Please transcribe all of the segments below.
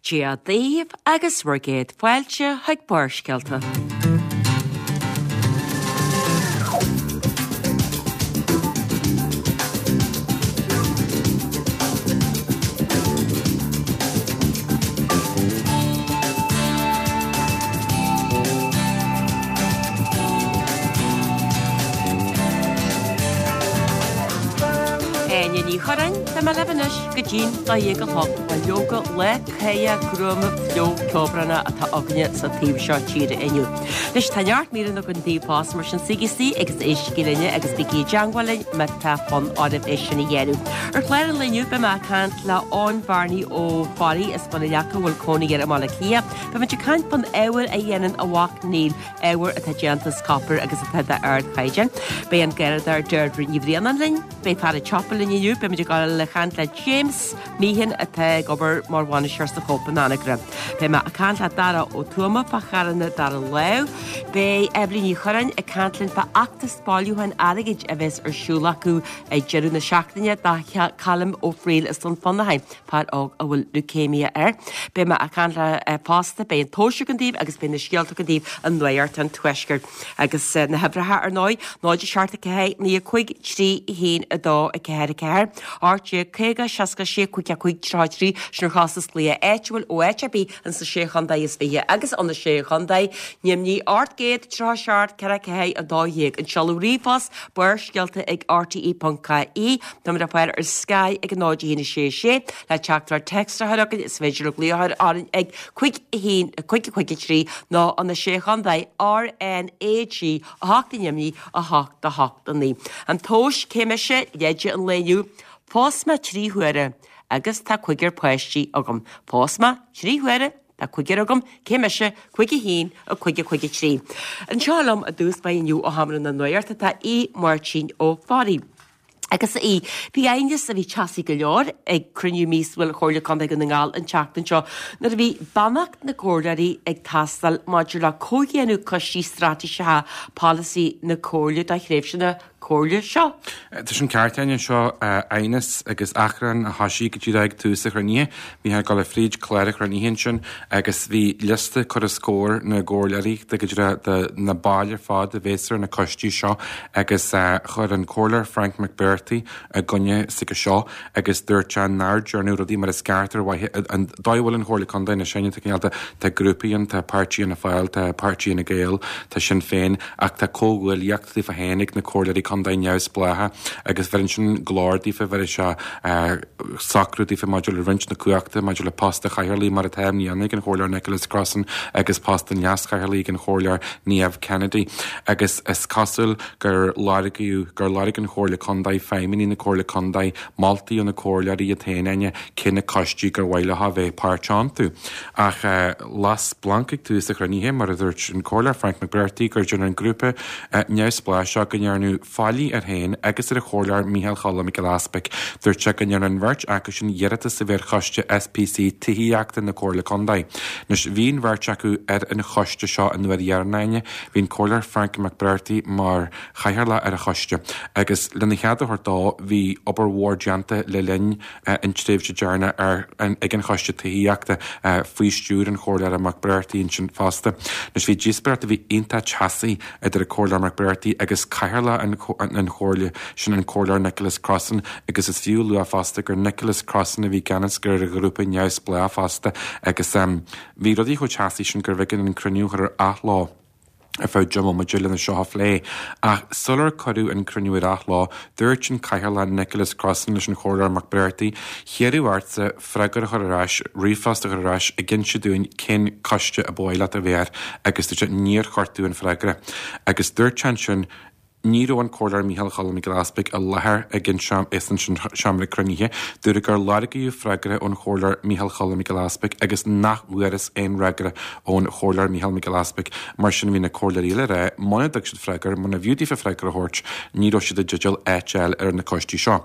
Dia daoibh agus bhur gcéad fáilte chuig Barrscéalta. Áine Ní Churráin, tá mé libh anois go dtí'n 12 a chlog. Bhuel leoga lá cáidheach gruama fliuch ceobhránach atá againne sa taobh seo tíre inniu. Anois tá neart míreanna againn daoibh fosta mar sin suígí istigh agus éistigí linne agus bígí i dteangmháil linn má tá fonn oraibh é sin a dhéanamh. Ar chlár an lae inniu beidh mé ag caint le Eoin Bhearnaí Ó Fearraigh as Bun an Leaca a bhfuil cónaí air i mBaile Átha Cliath. Beimid ag caint fán ábhar a dhéanann a mhac Neil, ábhar atá déanta as copar agus atá d'ardchaighdeán. Beidh an Garradóir Deirdre Ní Bhraonáin linn. Beidh fear an tsiopa linn inniu, beimid ag dul a chaint le James Meehan atá ag obair mar bhainisteoir sa Chóip in Anagaire. Beidh mé ag caint le Dara Ó Tuama fá charranna dara lámh. Beidh Eibhlín Ní Churráin ag caint linn fá fheachtas bailiúcháin airgid a bheas ar siúl acu ag deireadh na seachtaine do Callum Ó Frighil as Dún Fionnachaidh, fear óg a bhfuil leucemia air. Beidh mé ag caint le fosta, beidh an tomhas againn daoibh agus beidh na scéalta againn daoibh i Nuacht an Tuaiscirt. Agus na huimhreacha, ar ndóigh, 0 7 4 9 5 3 1 2 4 4, 18 50 66 5 5 33, sin ar chostas glaoch áitiúil ó áit ar bith ins na Sé Chontae is Fiche agus ó na Sé Chontae, Nimhní 837 4 4 12, an seoladh ríomhphost, Barrscéalta ag rte.ie, Táimid le fáil ar Sky ag 0 1 6 6, le teachtaireacht téacs a chur chugainn is féidir libh glaoch a chur orainn ag 5 1 5 5 3 nó ó na Sé Chontae RnaG 8 i nDoimní 8 8 9. An tomhas, cé mise, leide an lae inniu, Phós mé 3 huaire agus tá cúigear páistí agam. Phós mé 3 huaire, tá cúigear agam, cé mise, 5 1 5 5 3. Anseo liom i dtús báire inniu ó Sheomra na Nuachta tá Aodh Máirtín Ó Fearraigh. Agus a Aoidh, bhí aighneas a bhí teasaí go leor ag cruinniú míosúil Chomhairle Contae Dhún na nGall an tseachtain seo nuair a bhí beannacht na gcomhairleoirí ag teastáil maidir le comhdhéanamh coistí straitéiseacha polasaí na Comhairle do thréimhse na Comhairle seo. Tá sin ceart, Áine. Seo aighneas agus achrann a thoisigh go díreach ag tús an chruinnithe. Bhí ag dul fríd clár an chruinnithe ansin agus bhí liosta curtha os comhair na gcomhairleoirí de go díreach de na baill ar fad a bhéas ar na coistí seo agus chuir an Comhairleoir Frank McBrearty i gcoinne s'aige seo agus dúirt sé nár dearnadh rudaí mar is ceart ar mhaithe an dóigh a bhfuil an Chomhairle Contae anois Áine tá cineál de tá grúpaí ann tá Páirtí Fhianna Fáil tá Páirtí Fhine Gael tá Sinn Féin ach tá comhghuaillíocht daofa féin ag na comhairleoirí contae neamhspleácha agus bheireann sin glór daofa bheireann sé socrú daofa maidir le roinnt na cumhachta, maidir le post an chathaoirligh mar atá i mbliana ag an Chomhairleoir Nicholas Crossan agus post an leaschathaoirligh ag an Chomhairleoir Niamh Kennedy. Agus is cosúil gur lorgaíodh, gur lorg an Chomhairle Contae, feidhmeannaigh na Comhairle Contae, moltaí ó na comhairleoirí iad féin, Áine, cé na coistí gur mhaith leo a bheith páirteach iontu. Ach las splanc ag tús an chruinnithe, mar a dúirt an Comhairleoir Frank McBrearty, gur déanadh an grúpa neamhspleách seo go ndearnadh faillí air féin agus ar an Chomhairleoir Mícheál Choilm Mac Giolla Easpaig. Dúirt sé go ndearna an bheirt acu sin iarratas a bheith ar choiste SPC Tithíochta na Comhairle Contae. Anois, bhí an bheirt acu ar an choiste seo an uair dheireanach, Áine. Bhí an Comhairleoir Frank McBrearty mar chathaoirleach ar an choiste agus lena chead a thabhairt dó bhí obair mhór déanta le linn an tréimhse deireanach ar ag an Choiste Tithíochta faoi stiúir an Chomhairleora McBrearty ansin fosta. Anois bhí díospóireacht a bhí iontach teasaí idir an Comhairleoir McBrearty agus Cathaoirleach an Chomhairle, sin an Comhairleoir Nicholas Crossan agus is fiú a lua fosta gur Nicholas Crossan a bhí i gceannas ar an ghrúpa neamhspleách fosta agus bhí rudaí chomh teasaí sin gurbh éigean an cruinniú a chur ar athló. ar feadh 10 mbomaite lena seo a phlé. Ach sular cuireadh an cruinniú ar athló, dúirt an Cathaoirleach Nicholas Crossan leis an Chomhairleoir McBrearty, Hiarradh ortsa freagra a chur ar ais, ríomhphost a chur ar ais ag inse dúinn cén coiste a ba mhaith leat a bheith air agus dúirt sé níor chuir tú an freagra. Agus dúirt sé ansin, Ní raibh an Comhairleoir Mícheál Choilm Mac Giolla Easpaig i láthair ag an seomra cruinnithe. Dúradh gur lorgaíodh freagra ón Chomhairleoir Mícheál Choilm Mac Giolla Easpaig agus nach bhfuarthas aon fhreagra ón Chomhairleoir Mícheál Mac Giolla Easpaig. Mar sin bhí na comhairleoirí eile ag rá muna dtug siad freagra, muna bhfiú daofa freagra a thabhairt, ní raibh siad i dteideal áit a fháil ar na coistí seo.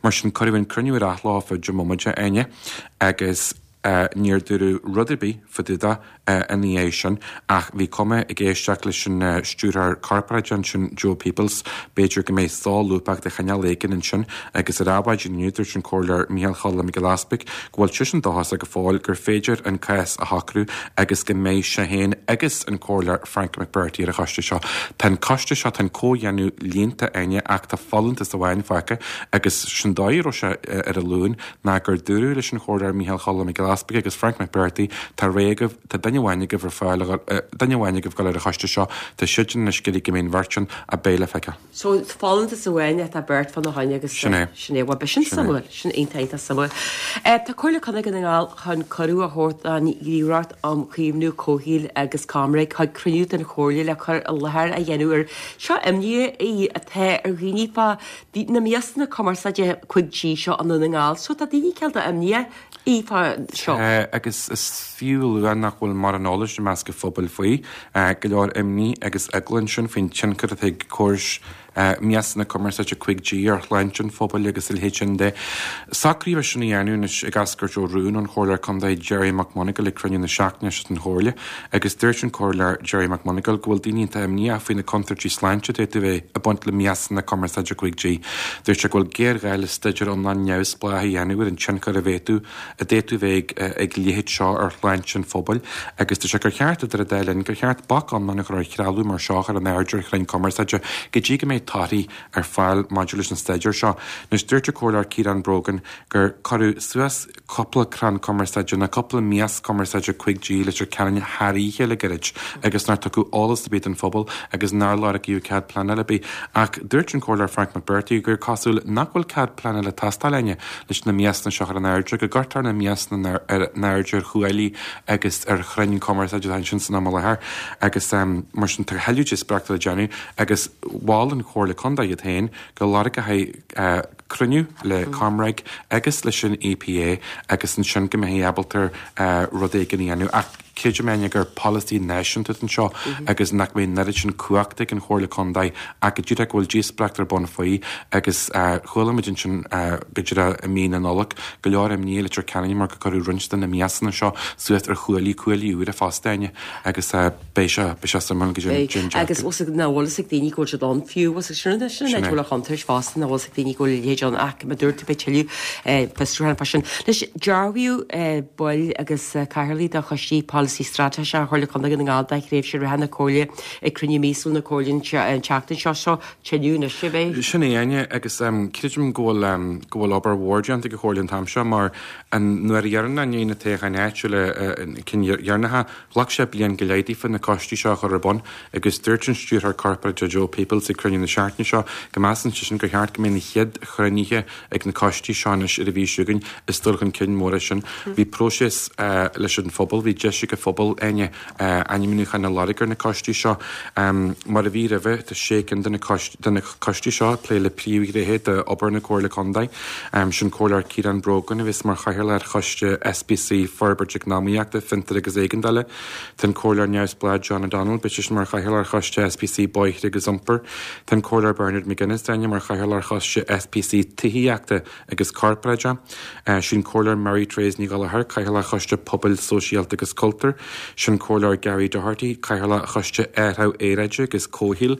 Mar sin cuireadh an cruinniú ar athló ar feadh 10 mbomaite, Áine, agus. Níor dúradh rud ar bith fá dtaobh de ina dhiaidh sin ach bhí cuma ag éisteacht leis an Stiúrthóir Corparáideach ansin, Joe Peoples, b'fhéidir go mbeidh solúbthacht de chineál éigin ansin agus ar Adhmhaidin inniu dúirt an Comhairleoir Micheál Choilm Mac Giolla Easpaig go bhfuil seisean dóchasach go fóill gur féidir an cás a shocrú agus go mbeidh sé féin agus an Comhairleoir Frank McBrearty ar an choiste seo. Tá an coiste seo, tá an comhdhéanamh líonta, Áine, ach tá folúntas amháin fágtha agus sin dóigh a raibh sé ar an Luan ná gur dúradh leis an Chomhairleoir Micheál Choilm Mac Giolla Easpaig agus Frank McBrearty, tá réidh agaibh, tá duine amháin agaibh ar fáil, duine amháin agaibh dul ar an choiste seo, tá siad anois ag iarraidh go mbeidh an bheirt ann, ach beidh le feiceáil. So, folúntas amháin atá beirt fána choinne agus Sin é. sin é. Bhuel, b'shin Sin é. suimiúil. Sin iontach, iontach suimiúil. Tá Comhairle Contae Dhún na nGall chun cuireadh a thabhairt don Ghníomhaireacht um Chaomhnú Comhshaoil agus ComReg chuig cruinniú den Chomhairle le cur i láthair a dhéanamh ar seo imní í atá ar dhaoine fá na miasanna cumarsáide 5G seo i nDún na nGall. So tá daoine cineál imníoch í fá seo. Tá, agus is fiú a lua nach bhfuil mórán eolais i measc an phobail faoi. Go leor imní agus eagla ansin faoin tionchar atá ag córais miasanna cumarsáide 5G ar shláinte an phobail agus a leithéid sin de. Socraíodh é sin a dhéanamh anois ag eascairt ó rún ón Chomhairleoir Contae Gerry McMonagall ag cruinniú na seachtaine seo den Chomhairle agus dúirt an Comhairleoir Gerry McMonagall go bhfuil daoine iontach imníoch faoi na contúirtí sláinte a d'fhéadfadh a bheith ag baint le miasanna cumarsáide 5G. Dúirt sé go bhfuil géarghá le staidéar iomlán neamhspleách a dhéanamh ar an tionchar a bhféadfadh a d'fhéadfadh a bheith ag a leithéid seo ar shláinte an phobail agus dúirt sé gur cheart, idir an dá linn, gur cheart bac iomlán a chur ar threalamh mar seo a chur in airde ar chrainn cumarsáide go dtí go mbeidh torthaí ar fáil maidir leis an staidéar seo. Anois, dúirt an Comhairleoir Ciarán Brogan gur cuireadh suas cúpla crann cumarsáide nó cúpla mias cumarsáide 5G i Leitir Ceanainn thar oíche le gairid agus nár tugadh eolas ar bith don phobal agus nár lorgaíodh cead pleanála ar bith. Ach dúirt an Comhairleoir Frank McBrearty gur cosúil nach bhfuil cead pleanála ag teastáil Áine leis na miasanna seo a chur in airde, go gcuirtear na miasanna in airde ar chuaillí agus ar chrainn cumarsáide atá ansin san am i láthair agus mar sin tá tuilleadh díospóireachta le déanamh agus mhol an Chomhairle Contae iad féin go lorgófaí cruinniú le ComReg agus leis an EPA agus ansin go mbeifí ábalta rud éigin a dhéanamh. Ach creidim Áine gur polasaí náisiúnta atá anseo agus nach mbeidh an oiread sin cumhachta ag an Chomhairle Contae ach go díreach go bhfuil díospóireacht ar bun faoi agus chuala muid ansin go díreach i mí na Nollag go leor imní i Leitir Ceanainn mar gur cuireadh roinnt de na miasanna seo suas ar chuaillí, cuaillí úra fosta Áine agus Beidh sé, beidh sé suimiúil go dtí an Beidh, agus bhfuil 's ag, nach bhfuil fhios ag daoine go bhfuil siad ann fiú, bhfuil 's ag, sin, sin an áit a bhfuil an chontúirt fosta, nach bhfuil 's ag daoine go bhfuil a leithéid ann ach mar a dúirt tú beidh tuilleadh fiosrúcháin fá sin. Anois, dearbhaíodh baill agus cathaoirligh de choistí polasaí straitéiseach Chomhairle Contae Dhún na nGall do thréimhse reatha na Comhairle ag cruinniú míosúil na Comhairle an tseachtain seo, so tuilleadh anois a bheidh. Sin é, Áine, agus creidim go bhfuil, go bhfuil obair mhór déanta ag an Chomhairle an t-am seo mar an uair dheireanach i ndiaidh na toghcháin áitiúla, cinn dheireanacha, Ghlac sé bliain go leith daofa na coistí seo a chur ar bun agus dúirt an Stiúrthóir Corparáideach Joe Peoples ag cruinniú na seachtaine seo go measann seisean gur cheart go mbeidh na chéad chruinnithe ag na coistí seo anois ar an mhí seo chugainn. Is dul chun cinn mór é sin. Bhí próiseas leis an phobal, bhí deis ag an phobal, Áine, ainmniúcháin a lorg ar na coistí seo. Mar a bhí roimhe, tá sé cinn de na coistí seo ag plé le príomhghnéithe d'obair na Comhairle Contae. Sin Comhairleoir Ciarán Brogan a bheas mar chathaoirleach ar Choiste SPC Forbairt Eacnamaíochta, Fiontair agus Éigeandála. Tá an Comhairleoir neamhspleách John O'Donnell, beidh seisean mar chathaoirleach ar Choiste SPC Bóithre agus Iompair. Tá an Comhairleoir Bernard McGuinness, Áine, mar chathaoirleach ar Choiste SPC Tithíochta agus Corparáide. Sin Comhairleoir Mary Therese Ní Ghallchóir, Cathaoirleach Choiste Pobail, Sóisialta agus Cultúir. Sin Comhairleoir Gary Doherty, Cathaoirleach Choiste Athrú Aeráide agus Comhshaoil.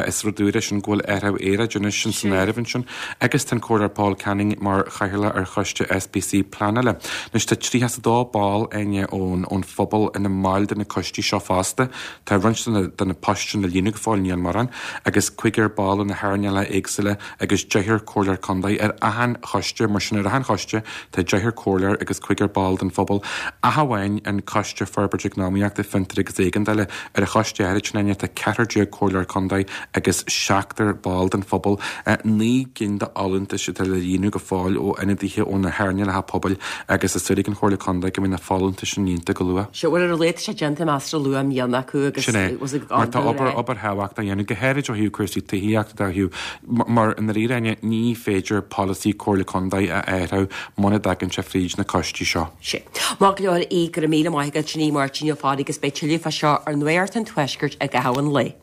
Is rud úr é sin go bhfuil athrú aeráide anois san áireamh ansin. Agus tá an Comhairleoir Paul Canning mar Chathaoirleach ar Choiste SPC Pleanála. Anois tá 32 ball, Áine, ón phobal ina mbaill de na coistí seo fosta. Tá roinnt de na poist sin le líonadh go fóill, níl mórán, agus cúigear ball ó na hearnálacha éagsúla agus deichniúr comhairleoir contae ar achan choiste, mar sin ar achan choiste tá deichniúr comhairleoir agus cúigear ball den phobal, ach amháin an Coiste Forbairt Eacnamaíochta, Fiontair agus Éigeandála. Ar an choiste áirid sin, Áine, tá ceathrar déag comhairleoir contae agus seachtar ball den phobal. 9 gcinn de fholúntais atá le líonadh go fóill ó ionadaithe ó na hearnálacha pobail agus tá súil ag an Chomhairle Contae go mbeidh na folúntais sin líonta go luath. Sea, bhuel ar a laghad tá sé déanta measartha luath i mbliana acu agus Sin é. was ag Mar tá obair, obair thábhachtach á dhéanamh, go háirid ó thaobh cúrsaí tithíochta de, ó thaobh, mar i ndáiríre, Áine, ní féidir polasaí Comhairle Contae a athrú muna dtagann sé fríd na coistí seo. Sea. Maith go leor, Aodh, go raibh míle maith agat, sin Aodh Máirtín Ó Fearraigh agus beidh tuilleadh fá seo ar Nuacht an Tuaiscirt i gcaitheamh an lae.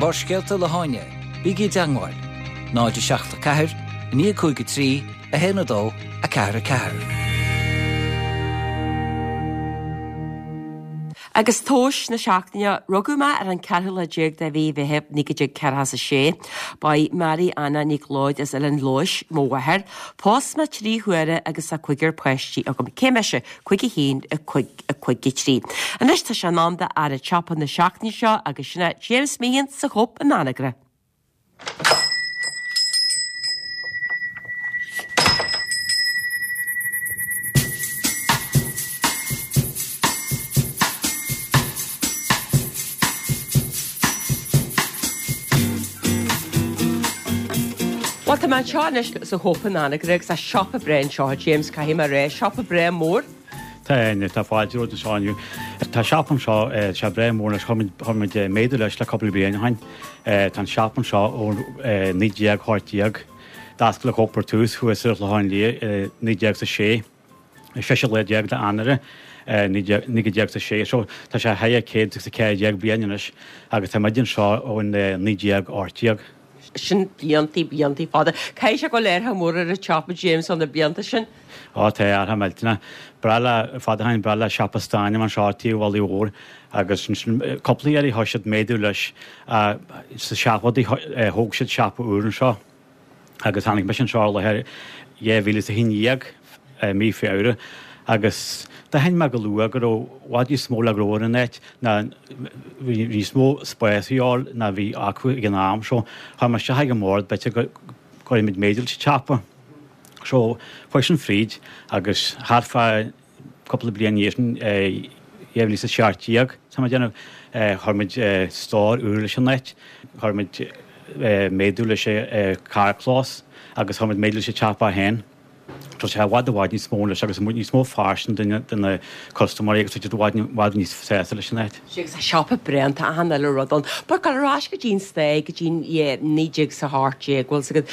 Barrscéalta le hÁine, bígí i dteangmháil, 0 7 4 9 5 3. 1 2 4 4. Agus tomhais na seachtaine, rugadh mé ar an ceathrú lá déag de mhí Mheithimh 1946. Ba í Mary Anna Nic Leoid as Oileán Leodhais mo mháthair. Phós mé 3 huaire agus tá cúigear páistí agam. Cé mise? 51, 5, 5, 3. Anois tá sé in am do fhear an tsiopa na seachtaine seo agus sin é James Meehan sa Chóip in Anagaire. Bhuel, tá mé anseo anois sa Chóip in Anagaire agus tá siopa breá anseo, a James, caithfidh mé a rá, siopa breá mór. Tá, tá fáilte romhat anseo inniu. Tá siopa anseo, tá sé breá mór anois, chuir muid méadú leis le cúpla bliain ó shin. Tá an siopa anseo ó 1918. D'oscail an Cóip ar tús thuas ar an Chlochán Liath i 1906, an seisiú lá déag d'Eanáir 1906. So tá sé thar 114 bliain anois agus tá muid anseo ó 1918. Sin bliantaí, bliantaí fada. Caithfidh sé go bhfuil athrú mór ar an tsiopa, James, ó na blianta sin. Ó tá athrú millteanach. Breá le, fada ó shin, breá le siopa stáin a bheith anseo taobh an bhaile mhóir agus ansin cúpla iarraidh thosaigh siad méadú leis sa seachtóidí thóg siad siopa úr anseo agus tháinig mise anseo ar láthair 2011 mí Feabhra agus d'aithin mé go luath go raibh i bhfad níos mó le gnó ar an áit ná bhí níos mó spáis a dhíobháil ná bhí acu ag an am so chuir mé isteach ag an mbord b'fhéidir go gcuirfidh muid méadú leis an tsiopa. So chuaigh sin fríd agus thart fá cúpla bliain ina dhiaidh sin, 2017 tá mé ag déanamh, chuir muid stór úr leis an áit, chuir muid méadú leis an carrchlós agus chuir muid méadú leis an tsiopa féin. Tá sé i bhfad i bhfad níos mó anois agus níos mó fairsinge do na custaiméirí agus tá siad i bhfad i bhfad níos sásta leis an áit. Sea, agus tá siopa breá ann, tá achan uile rud ann. But gabháil ar ais go dtí an stair, go dtí an, yeah, 1918, bhfuil 's agat,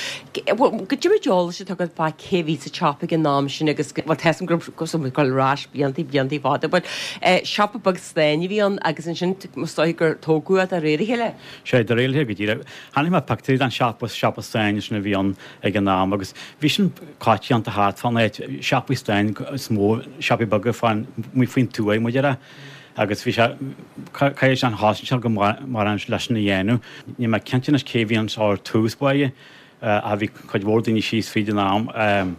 bhuel, goidé méid eolais atá agat fá cé bhí sa tsiopa ag an am sin agus, bhuel, tá 'fhios agam go raibh, go raibh, gabháil ar ais bliantaí, bliantaí fada, but eh, siopa beag stáin a bhí ann agus ansin is dóigh gur tógadh é de réir a chéile. Sea, de réir a chéile go díreach. Chonaic mé pictiúirí den siopa, siopa stáin sin a bhí ann ag an am agus bhí sin coitianta thart fán áit, siopaí stáin is mó, siopaí beaga fán, amuigh faoin tuaith muid a rá agus bhí sé, caithfidh sé an chosaint seo go mórán leis sin a dhéanamh. Níl mé cinnte anois cé bhí anseo ar tús báire ach bhí cuid mhór daoine síos fríd an am.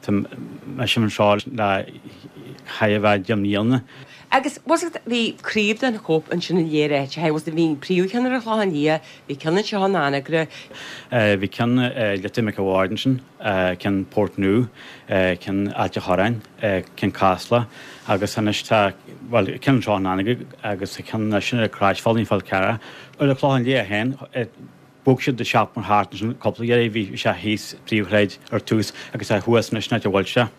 Tá mise anseo le chóir a bheith 10 mbliana. Agus bhfuil 's agat, bhí craobh den Chóip ansin in léir áite, bhfuil 's agat, bhí an príomhcheann ar an Chlochán Liath, bhí ceann anseo in Anagaire. Bhí ceann i Leitir Mhic a' Bhaird ansin, ceann Portnoo, ceann Ailt a' Chorráin, ceann Casla agus anois tá, bhuel, ceann anseo in Anagaire agus tá ceann anois ar Croisbhealaí an Fhál Carrach. Ar an Chlochán Liath féin, Bhog siad an siopa thart ansin cúpla iarraidh, bhí sé thíos príomhshráid ar tús agus tá thuas anois an áit a bhfuil sé.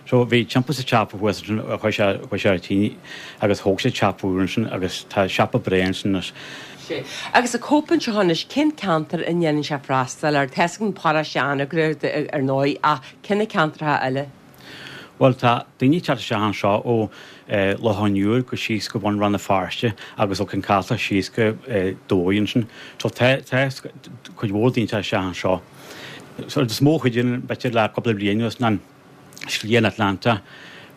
So bhí timpeall sa tsiopa thuas ansin chuaigh sé chuaigh sé ar tine agus thóg siad siopa úr ansin agus tá siopa breá ansin anois. Sea. Agus an Cóip anseo anois, cén ceantar a ndéanann sé freastal air? Tá 'fhios agam paróiste Anagaire ar ndóigh ach cé na ceantracha eile? Bhuel, tá daoine ag teacht isteach anseo ó Loch an Iúir go síos go bun Rann na Feirste agus ó Cionn Caslach síos go Dumhaigh ansin. So tá tá cuid mhór daoine ag teacht isteach anseo. So is mó a chuidíonn b'fhéidir le cúpla bliain anuas ná Slí an Atlantach.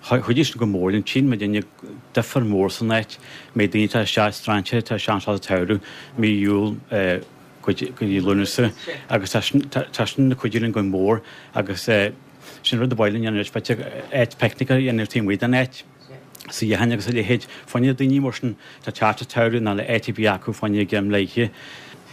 Chuidigh sin go mór linn. Tchíonn muidinne difear mór san áit. Méid daoine ag teacht isteach, strainséirí ag teacht isteach anseo sa tsamhradh, mí Iúil, go dtí Lúnasa agus tá sin tá sin ag cuidiú linn go mór agus Sin rud a ba mhaith linn a dhéanamh anois, b'fhéidir áit picnic a dhéanamh taobh amuigh den áit, suíocháin agus a leithéid. Fá choinne daoine mar sin atá ag teacht sa tsamhradh nach bhfuil áit ar bith acu fá choinne greim leidhte.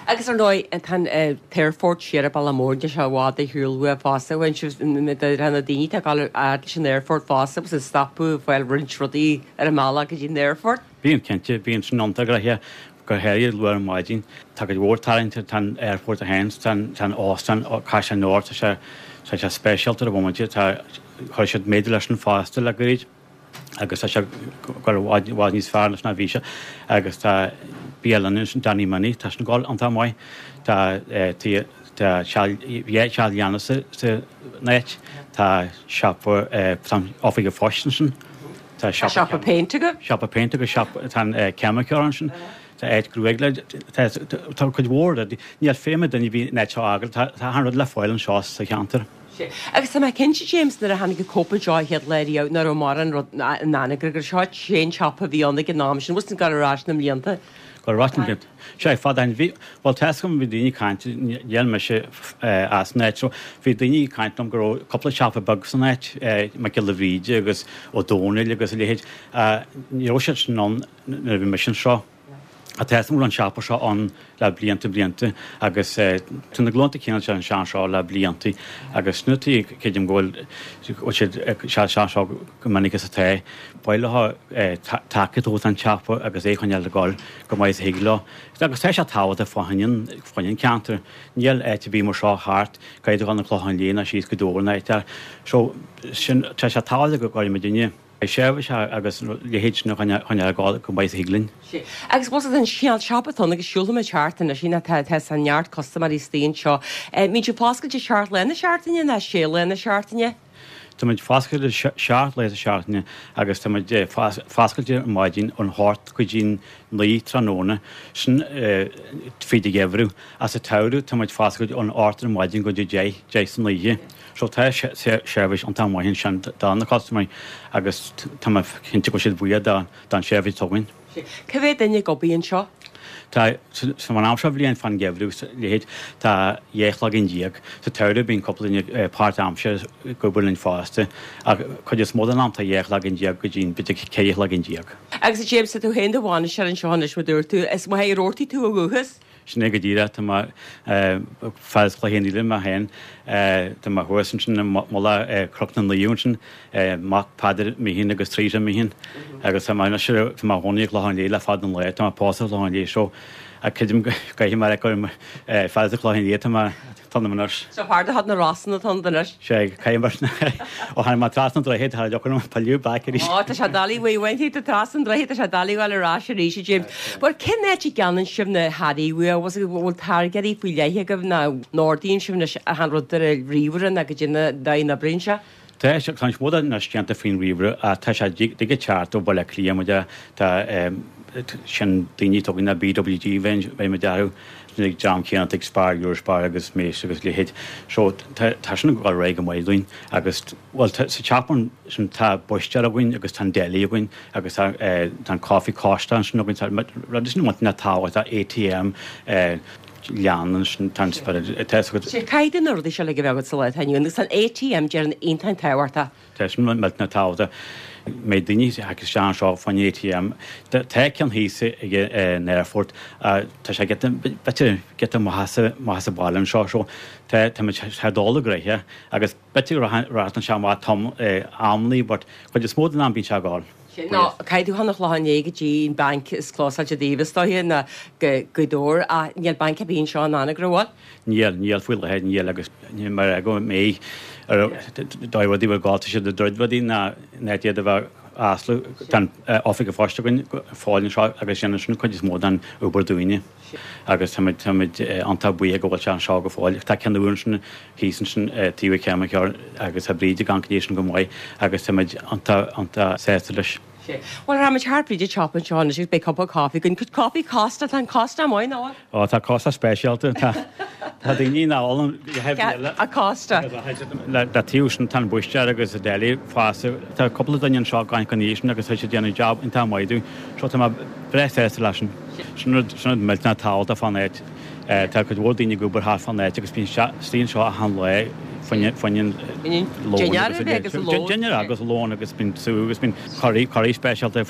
Agus ar ndóigh, tá an t-aerfort siar ag Bealach Mór, níl sé i bhfad ar shiúl uaidh fosta. Bhain sibh na daoine atá ag dul fhad leis an aerfort fosta agus ag stopadh ag fáil roinnt rudaí ar an mbealach go dtí an aerfort. Bíonn, cinnte. Bíonn sin iontach gnoitheach, go háirithe luath ar maidin. Tá cuid mhór tarraingte, tá an aerfort féin, tá an óstán, Caisleán Nua, tá sé, tá sé speisialta ar an bhomaite, tá, chuir siad méadú leis an fosta le gairid agus tá sé ag dul i bhfad, i bhfad níos fearr anois ná bhí sé agus tá bialann ansin, Danny Minnie, tá sin ag dul iontach maith. Tá, tá, tá teach, bhí teach leanna sa, san áit, tá siopa, tá oifig an phoist ansin. Tá siopa péinte agaibh? Siopa péinte agus siopa, tá an ceimiceoir ansin, tá áit gruaig le, tá cuid mhór rudaí, níl feidhm ag duine ar bith an áit seo a fhágáil, tá achan rud le fáil anseo sa cheantar. Sea. Agus tá mé cinnte, James, nuair a tháinig an Cóip anseo an chéad lá riamh, nach raibh mórán rud in Anagaire, gur seo an siopa a bhí ann ag an am sin, bhfuil 's ag dul ar ais na mblianta. Dul ar ais na mblianta. Sea, fada ó shin. Bhí, bhuel, tá 'fhios agam, bhí daoine ag caint, níl mise as an áit so, bhí daoine ag caint liom go raibh cúpla siopa beag san áit, Mac Giolla Bhríde agus Ó Dónaill agus a leithéid. Ní raibh siad sin ann nuair a bhí mise anseo. Tá 'fhios agam go raibh an siopa seo ann le blianta blianta agus tá na glúnta céanna ag teacht anseo le blianta agus sin an tuige creidim go bhfuil go bhfuil siad ag teacht anseo chomh minic is atá. Ba mhaith leo tacaíocht a thabhairt don tsiopa agus é a choinneáil ag dul chomh maith is a thig leo. Agus tá sé tábhachtach fá choinne an ceantar. Níl áit ar bith mar seo thart, caithfidh tú dul chun an Chlocháin Léith nó síos go Dobhar nó áit eile. So sin tá sé tábhachtach go gcuirfidh muidinne. seirbhís agus a leithéid sin a choinneáil ag dul chomh maith is a thig linn. Sea. Agus bhfuil 's agat an cineál siopa atá ann agus siúlfaidh muid thart anois, you know, tá tá neart custaiméirí istigh anseo. Mbíonn sibh foscailte seacht lá na seachtaine nó sé lá na seachtaine? Tá muid foscailte seacht lá sa seachtaine agus tá muid foscailte ar maidin ón hocht go dtí'n 9 tráthnóna, sin fríd an gheimhreadh. Ach sa tsamhradh tá muid foscailte ón hocht ar maidin go dtí 10, 10 san oíche. So tá seirbhís iontach maith ansin do na custaiméirí agus tá mé cinnte go bhfuil siad buíoch don seirbhís atá againn. Cá mhéad duine ag obair anseo? Tá, san am seo bhliain fán gheimhreadh agus a leithéid, tá 12 cloigeann. Sa tsamhradh bíonn cúpla duine páirt-aimseartha ag obair linn fosta ach cuid is mó den am tá 12 cloigeann go dtí b'fhéidir 14 chloigeann. Agus a James, tá tú féin i do bhainisteoir anseo anois mar dúirt tú, is maith ar ortaigh tú ó dhúchas? Sin é go díreach. Tá mé fear as Cloich Cheann Fhaola mé féin. Tá mé thuas ansin i mullach Chnoc na Naomh ansin, mac Peadar Meehan agus Teresa Meehan. Agus tá mé anois, tá mé i mo chónaí i gClochán Léith le fada an lá. Tá mé pósta i gClochán Léith so creidim go gcaithfidh mé gur fear as an Chlochán Liath atá mé ionam anois. So fear de chuid na Rosann atá ionat anois? Sea, caithfidh mar sin. Ó tháinig mé trasna an droichid, tá deocair orm pilleadh back arís. Ó, tá sé doiligh, bhuel, bhain tú trasna an droichid, tá sé doiligh a ghabháil ar ais arís, a James. Bhuel, cén áit a gceannaíonn sibh na hearraí uaibh? Bhfuil bhfuil táirgeoirí faoi leith agaibh nó an ordaíonn sibh anois achan rud ar an ríomhaire nó goidé an dóigh a n-oibríonn sé? Tá sé, tá níos mó de anois déanta faoin ríomhaire ach tá sé ag teacht ó Bhaile Átha Cliath muid tá sin daoine atá againn na BWG bheinn bheinn muid orthu sin ag dream céanna atá ag Spar, Eurospar agus Mace agus a leithéid. So tá tá sin ag dul ar aghaidh go maith dúinn agus bhuel tá sa teach sin tá búistéir againn agus tá an deli againn agus tá tá an caife Costa ansin againn tá rudaí sin iontach tábhachtach ATM leann ansin tá an spiorad tá fhios agat. Sea, caithfidh na rudaí seo uilig a bheith agat sa lá atá inniu ann agus tá an ATM déarfainn iontach tábhachtach. Tá sin millteanach tábhachtach. Mbeidh daoine ag teacht isteach anseo fá choinne ATM. Tá ceann thíos ag an aerfort. Tá sé giota, b'fhéidir giota amach as, amach as an baile anseo so tá, tá muid, tá dul i gcroiche agus b'fhéidir go rachadh sé amach tom, amannaí but chuid is mó den am bíonn sé ag gabháil. Sin nó caithfidh tú chun an Chlocháin Léith go dtí an banc is clósáilte daoibh is dóiche ná go Gaoth Dobhair ach níl banc ar bith anseo in Anagaire an bhfuil? Níl, níl faoi láthair, níl agus níl mar go mbeidh ar dóigh rudaí bhfuil gá tá siad ag druid rudaí ná ná iad a bheith aslú tá an oifig an phoist againn go fóill anseo agus déanann sin an chuid is mó den obair dúinne agus táimid táimid iontach buíoch go bhfuil sé anseo go fóill. Tá ceann úr ansin thíos ansin taobh an cheimiceoir agus tá Bríd ag amharc air sin go maith agus táimid iontach iontach sásta leis. Sea. Bhuel, rachaimid thart fríd an tsiopa anseo anois agus beidh cupa caife againn. Cuid caife Costa, tá an Costa maith, nach bhfuil? Ó, tá Costa speisialta. Tá tá daoine nach ólann a a Costa. Le taobh sin tá an búistéir agus an deli fosta. Tá cúpla duine anseo gan gan sin agus tá siad ag déanamh job iontach maith dúinn. So tá mé breá sásta leis sin. Sin rud sin rud millteanach tábhachtach fán áit. Tá cuid mhór daoine ag obair thart fán áit agus bíonn siad istigh anseo achan lá fá choinne lón agus lón. Dinnéar agus lón agus bíonn sú agus bíonn curry, curry speisialta,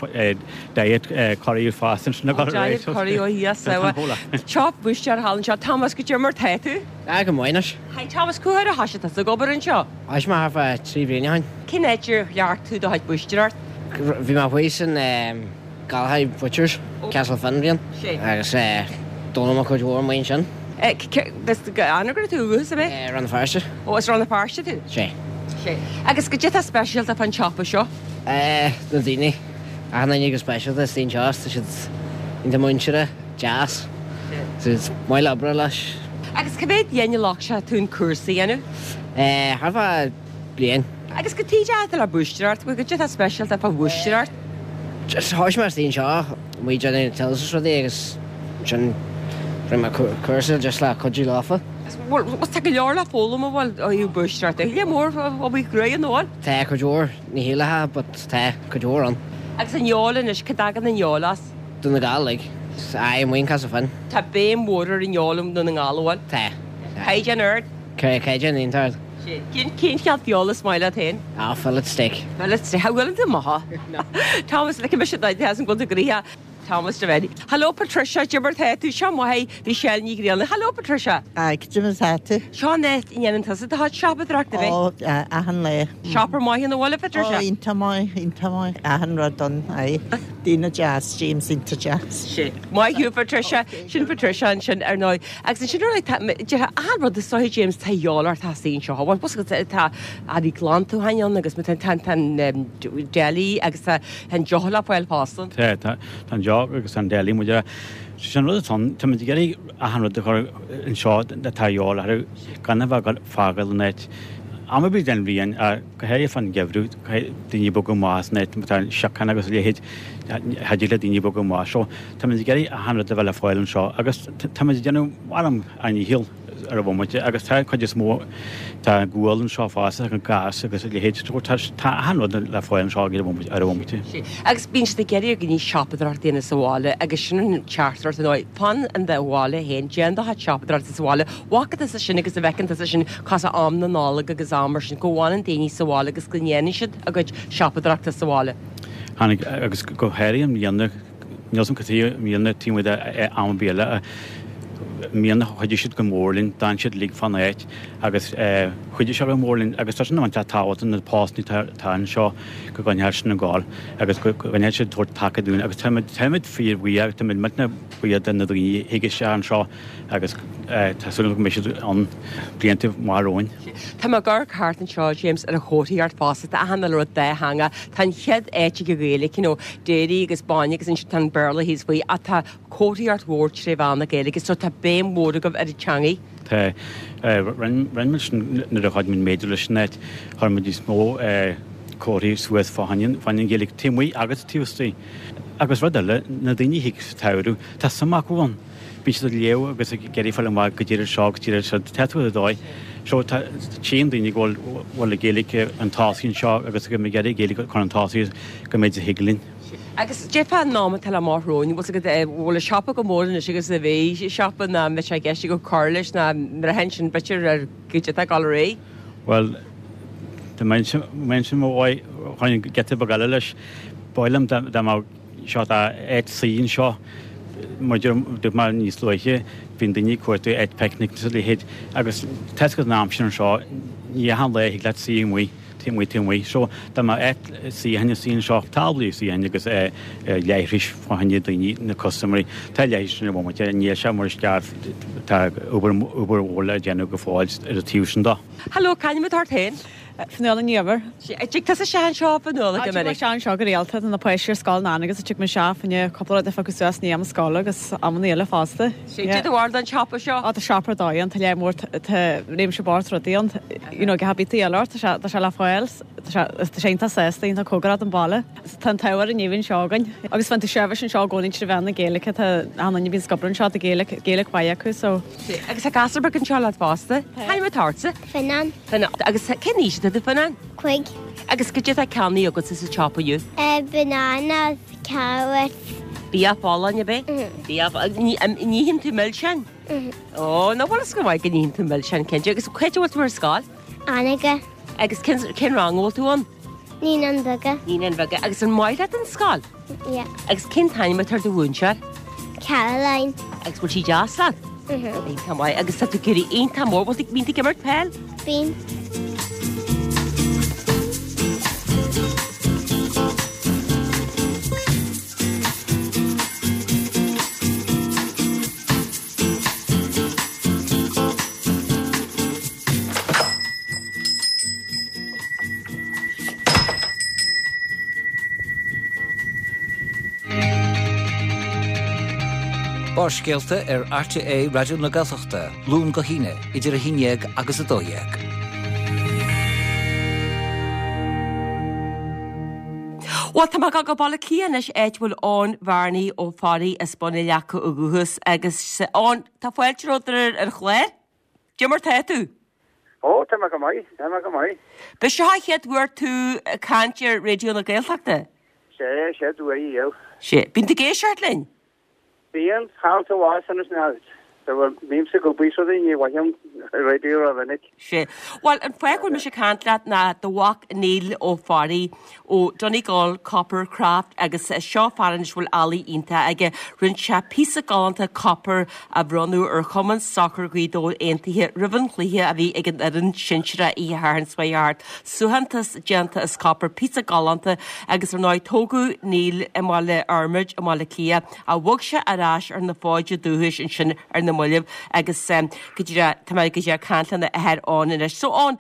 diet curry fosta ansin ag dul ar aghaidh. Diet curry ó Dhia sábháil. Teach búistéir thall anseo. Thomas, goidé mar tá tú? Ah, go maith anois. Hi Thomas, cá huair a thoisigh tusa ag obair anseo? Thoisigh mé thart fá 3 bhliain ó shin. Cén áit ar chleacht tú do chuid búistéireacht? Bhí mé thuas in Gallagher Butchers, Castle Finn bliain agus d'fhoghlaim mé cuid mhór amuigh ansin. As Anagaire tú ó dhúchas, ab é? Rann na Feirste. Ó, as Rann na Feirste tú? Sea. Sea. Agus goidé atá speisialta fán tsiopa seo? Na daoine. Achan duine go speisialta istigh anseo, tá siad iontach múinteartha, deas. Tá siad maith le obair leis. Agus cá mhéad bliain a ghlac sé tú an cúrsa a dhéanamh? Thart fá bliain. Agus cad tuige a tú le búistéireacht, goidé atá speisialta fá bhúistéireacht? Just thoisigh mé istigh anseo, amuigh ag déanamh tills is rudaí agus ansin rinne mé cúrsa just le cuidiú leofa. Bhuel, tá go leor le foghlaim an bhfuil ó thaobh búistéireachta. Lear mór obair chruaidh ann an bhfuil? Tá cuid mhór, ní shílfeá but tá cuid mhór ann. Agus an fheoil anois, cá dtagann an fheoil as? Dún na nGall, like. Aye, amuigh in Castle Finn. Tá béim mhór ar an fheoil i nDún na nGall, an bhfuil? Tá. Caighdeán ard? Caighdeán iontach ard. Cén cineál feola is maith leat féin? Ah, fillet steak. Fillet steak, an bhfuil tú maith? Thomas, like mise duit, tá an bhfuil tú gnoitheach. Thomas Devaney. Hello Patricia, cad é mar tá tú? Seo maith é, Michelle Ní Ghrianna. Hello Patricia. Aye, cad é mar tá tú? Seo an áit a ndéanann tusa do chuid siopadóireachta, ab ea? Ó, achan lá. Siopa maith an bhfuil, a Patricia? Ó, iontach maith, iontach maith. Achan rud ann, aye. Daoine deas, James iontach deas. Sin. Maith thú Patricia. Sin Patricia ansin ar ndóigh. Agus ansin ar ndóigh, tá, déarfá, achan rud is dóiche James, tá a dhíobháil ort as anseo. Bhuel, tá earraí glantúcháin ann agus tá, tá, tá an deli agus tá an deoch le fáil fosta. Tá, tá, tá an deoch agus tá an deli muid a, sin an rud atá ann, tá muid ag iarraidh achan rud a chur anseo atá a dhíobháil orthu gan a bheith ag fágáil an áit. Am ar bith den bhliain, go háirithe fán gheimhreadh, caithfidh daoine bogadh amach as an áit, má tá síocháin agus a leithéid, cha dtig le daoine bogadh amach. So, tá muid ag iarraidh achan rud a bheith le fáil anseo agus tá muid ag déanamh ár ndícheall. ar an bhomaite agus tá an chuid is mó, tá gual anseo fosta, an gás agus a leithéid, so tá achan rud le fáil anseo ar an bhomaite. Agus bíonn siad ag iarraidh ar dhaoine siopadóireacht a dhéanamh sa bhaile agus sin an teachtaireacht ar ndóigh, fan in do bhaile féin, déan do chuid siopadóireachta sa bhaile, bhfaca tusa sin agus an bhfeiceann tusa sin cosúil am na Nollag agus am mar sin, go bhfanann daoine sa bhaile agus go ndéanann siad a gcuid siopadóireachta sa bhaile. Tháinig, agus go háirithe i mbliana, Níl 's a'm cad chuige i mbliana taobh amuigh de am ar bith eile i mbliana chuidigh siad go mór linn, d'fhan siad uilig fán áit agus chuidigh siad go mór linn agus tá sin iontach tábhachtach na postanna atá anseo go gcoinneoidh sin ag gabháil agus go gcoinneoidh siad tabhairt taca dúinn agus táimid táimid fíorbhuíoch táimid millteanach buíoch de na daoine a thig isteach anseo agus tá súil agam go mbeidh siad ann blianta maith romhainn. Tá mé ag amharc thart anseo, James, ar an chomharthaíocht fosta, tá achan uile rud dátheangach. Tá an chéad áit ag an Ghaeilge, you know, dairy agus bainne agus ansin tá an Béarla thíos faoi ach tá comharthaíocht mhór tré mheán na Gaeilge so tá béim mhór agaibh ar an teangaidh. Tá. Rinne muid sin nuair a chuaigh muid méadú leis an áit, chuir muid níos mó comharthaí suas fá choinne an Ghaeilge taobh amuigh agus taobh istigh. Agus rud eile, na daoine a thig sa tsamhradh, tá suim acu ann. Bíonn siad ag léamh agus ag iarraidh fáil amach goidé iad seo agus goidé iad siúd. Tá tú ar dóigh. So tá tchíonn daoine go bhfuil bhfuil an Ghaeilge chun tosaigh anseo agus go mbeidh iarraidh Gaeilge a chur chun tosaigh go mbeidh a thig linn. Agus déarfá an am atá le amach romhainn, bhfuil 's agat bhfuil an siopa chomh mór anois agus a bhí siopa ná mbeidh sé i gceist agat cur leis ná mbraitheann sin b'fhéidir ar goidé atá ag dul ar aghaidh? Bhuel, dá mbeinnse i mo mhaith, chuirfinn giota beag eile leis. Ba mhaith liom dá mbeadh Seo tá áit suí anseo. Mar a dúirt mé níos luaithe, bíonn daoine ag cuartú áit picnic agus a leithéid agus tá 'fhios agat an aimsir anseo, ní achan lá a thig leat suí amuigh, taobh amuigh, taobh amuigh. So dá mbeadh áit suíocháin suí anseo, táblaí suíocháin agus leithris fá choinne daoine, na custaiméirí. Tá leithris ar an bhomaite, níl sé mar is ceart, tá obair, obair mhór le déanamh go fóill ar an taobh sin de. Hello, c'ainm atá ort féin? Fionnuala Ní Eibhir. An dtig tusa isteach anseo a Fhionnuala go minic? Tig mé isteach anseo go rialta, tá na páistí ar scoil in Anagaire agus tig mé isteach fá choinne cúpla rud a phiocadh suas i ndiaidh am scoile agus amanna eile fosta. Cad é do bharúil den siopa seo? Á tá siopa ar dóigh ann, tá lear mór, tá réimse bocht rudaí ann, you know, gach bit a dhíobháil ort, tá sé, tá sé le fáil, tá sé, tá sé iontach sásta, iontach cóngarach don bhaile. Tá an t-ádh ar an anseo againn agus faigheann tú seirbhís anseo i gcónaí trí mheán na Gaeilge, tá achan duine a bhíonn ag obair anseo, tá Gaeilge, Gaeilge mhaith acu so. Agus tá gasúr beag anseo leat fosta. C'ainm atá ortsa? Fionnán. Fionnán. Agus cén aois atá tú, Fionnán? Cuig. Agus cad é atá ceannaithe agatsa sa tsiopa inniu? Banana, carrot. Bia folláin, ab ea? Bia folláin. An itheann tú milseáin? Ó, ná bhfuil fhios go maith go n-itheann tú milseáin, cinnte. Agus cá háit a bhfuil tú ar scoil? Anagaire. Agus cén rang a bhfuil tú ann? Naíonáin Bheaga. Naíonáin Bheaga. Agus an maith leat an scoil? Yeah. Agus cén t-ainm atá ar do mhúinteoir? Caroline. Agus bhfuil sí deas leat? Mhm. Iontach maith. Agus tá tú ag éirí iontach mór. Bhfuil tú, bíonn tú ag imirt peil? Bíonn. Barrscéalta ar RTÉ Raidió na Gaeltachta, Luan go hAoine, idir 11 agus 12. Bhuel, tá mé ag dul go Baile Átha Cliath anois, áit a bhfuil Eoin Bhearnaí Ó Fearraigh as Bun an Leaca ó dhúchas agus Eoin, tá fáilte romhat ar an chlár. Cad é mar tá tú? Ó, tá mé go maith, tá mé go maith. B'é seo an chéad uair tú ag caint ar Raidió na Gaeltachta? Sé, chéad uair riamh. Sé. Bíonn tú ag éisteacht linn? Bíonn, thall sa bhás anois now. Bímse ag obair so ní bhfaighim raidió rómhinic. Sé. Bhuel, an fáth go bhfuil mise ag caint leat ná do mhac Neil Ó Fearraigh ó Donegal Copper Craft agus seo fear anois a bhfuil ealaí iontach aige. Rinne sé píosa galánta copair a bhronnadh ar Chumann Sacair Ghaoth Dobhair Aontaithe roimh an chluiche a bhí ag an fhoireann sinsearach oíche Shathairn seo thart. Suaitheantas déanta as copar, píosa galánta agus ar ndóigh tógadh Neil i mBaile Fhormaid i mBaile Átha Cliath ach bhog sé ar ais ar na fóide dúchais ansin ar na mallaibh agus go díreach tá mé go díreach ag caint lena athair Eoin anois. So Eoin,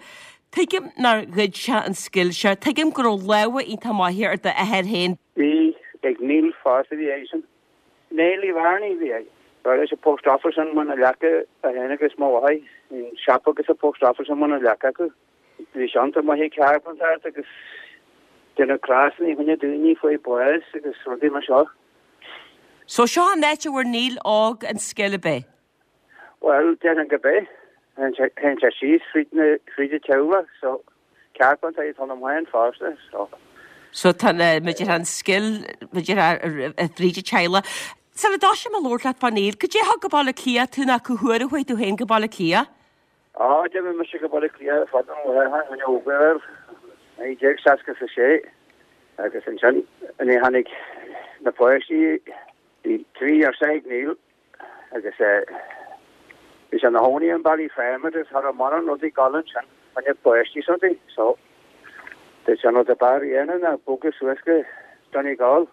tuigim nár ghoid sé an scil seo, tuigim go raibh lámha iontach maithe ar d'athair féin. Bhí ag Neil fosta bhí eisean. Neil Uí Bhearnaí bhí aige. Dar leis an post office i mBun na Leaca é féin agus mo mháthair, an siopa agus an post office i mBun na Leaca acu. Bhí sé iontach maith ag cearpantaíocht agus déanamh crosanna fá choinne daoine fuair bás agus rudaí mar seo. So seo an áit a bhfuair Neil óg an scil ab é? Bhuel, déarfainn go b'é. Théann sé síos fríd na, fríd an teaghlach so cearpantaí atá ionam féin fosta so. So tá na, mar a déarfá an scil, mar a déarfá fríd an teaghlach. Sula dtoiseoidh mé ag labhairt leat fá Neil, cad é a thug go Baile Átha Cliath tú nó cá huair a chuaigh tú féin go Baile Átha Cliath? Á, d'imigh mise go Baile Átha Cliath fada ó shin, ó bhuel, 1966, agus ansin nuair a tháinig na páistí, bhí 3 ghirsí ag Neil agus bhí sé ina chónaí in Ballyfermot agus cha raibh mórán rudaí ag dul ansin fá choinne páistí is rudaí, so dúirt sé an rud ab fhearr a dhéanamh ná bogadh suas go Donegal.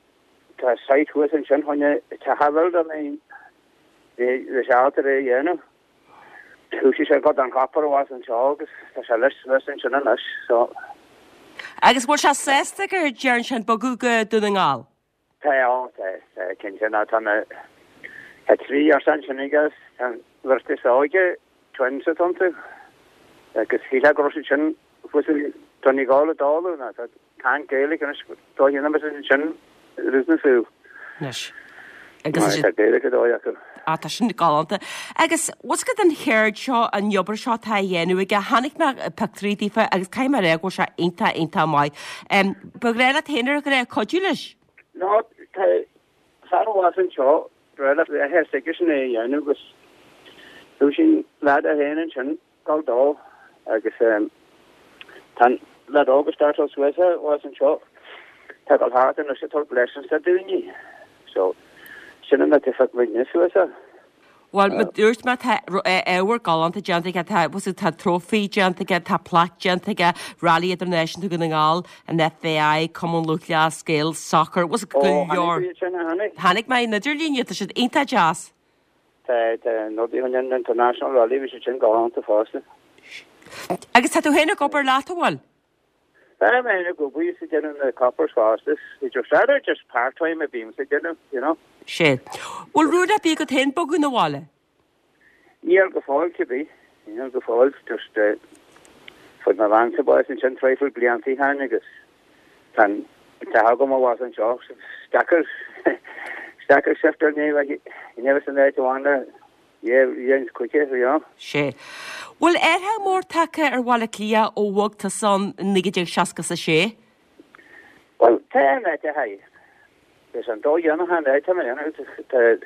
Tá site thuas ansin fá choinne teach a bhuild, I mean, bhí sé ábalta é a dhéanamh. Thosaigh sé ag gabháil don chopar abhus anseo agus tá sé leis suas ansin anois so. Agus bhfuil sé sásta gur dhearn sé an bogadh go Dún na nGall? Tá, ó, tá, tá, cinnte ná tá na, tá 3 ghirsí ansin aige agus tá an bheirt is óige, twins atá iontu agus shílfeá go raibh siad sin thuas i Donegal i dtólamh ná tá Caint Gaeilge anois dá dhéanamh is ansin rith na súl. Anois. Agus Tá Gaeilge dóigh acu. Á tá sin galánta. Agus what's good an cheird seo an obair seo atá á dhéanamh aige, chonaic mé pictiúirí daofa agus caithfidh mé a rá go bhfuil sé iontach iontach maith. Ba ghnách leat féin ar ghnách cuidiú leis? No, tá fear abhus anseo, breá le athair s'aigesean é a dhéanamh agus dúirt an leaid é féin ansin Gabh dó agus tá an leaid óg ag startáil suas abhus anseo. Tá ag dul thart anois ag tabhairt lessons do daoine. So, sin an áit a phioc muidne suas é. Bhuel, mar dúirt mé, tá ábhar galánta déanta aige, tá, tá trophy déanta aige, tá plaic déanta aige, Rally Idirnáisiúnta Dhún na nGall, an FAI, Cumann Lúthchleas Gael, Soccer, bhfuil go leor. Ó, chonaic tú iad sin, a chonaic? Chonaic mé an idirlíon iad, tá siad iontach deas. Tá na rudaí chun an International Rally, bhí siad sin galánta fosta. Agus tá tú féin ag obair leat, an bhfuil? Tá mé féin ag obair is ag déanamh na coppers fosta. It's just rather just part time a bhímse ag déanamh, you know. Sé. Bhfuil rún ar bith agat féin bogadh 'na bhaile? Níl go fóill, cibé. Níl go fóill, just fuair mo bheansa bás ansin traidhfil blianta ó shin agus Tá an teach agam abhus anseo. Is deacair, is deacair shiftáil ní bheidh san áit amháin le dhéanamh chuici, you know. Sé. Bhfuil athrú mór tagtha ar Bhaile Átha Cliath ó bhog tusa ann i 1966? Bhuel, tá an áit a haghaidh. Is an dóigh dhéanach an áit a mbeidh tá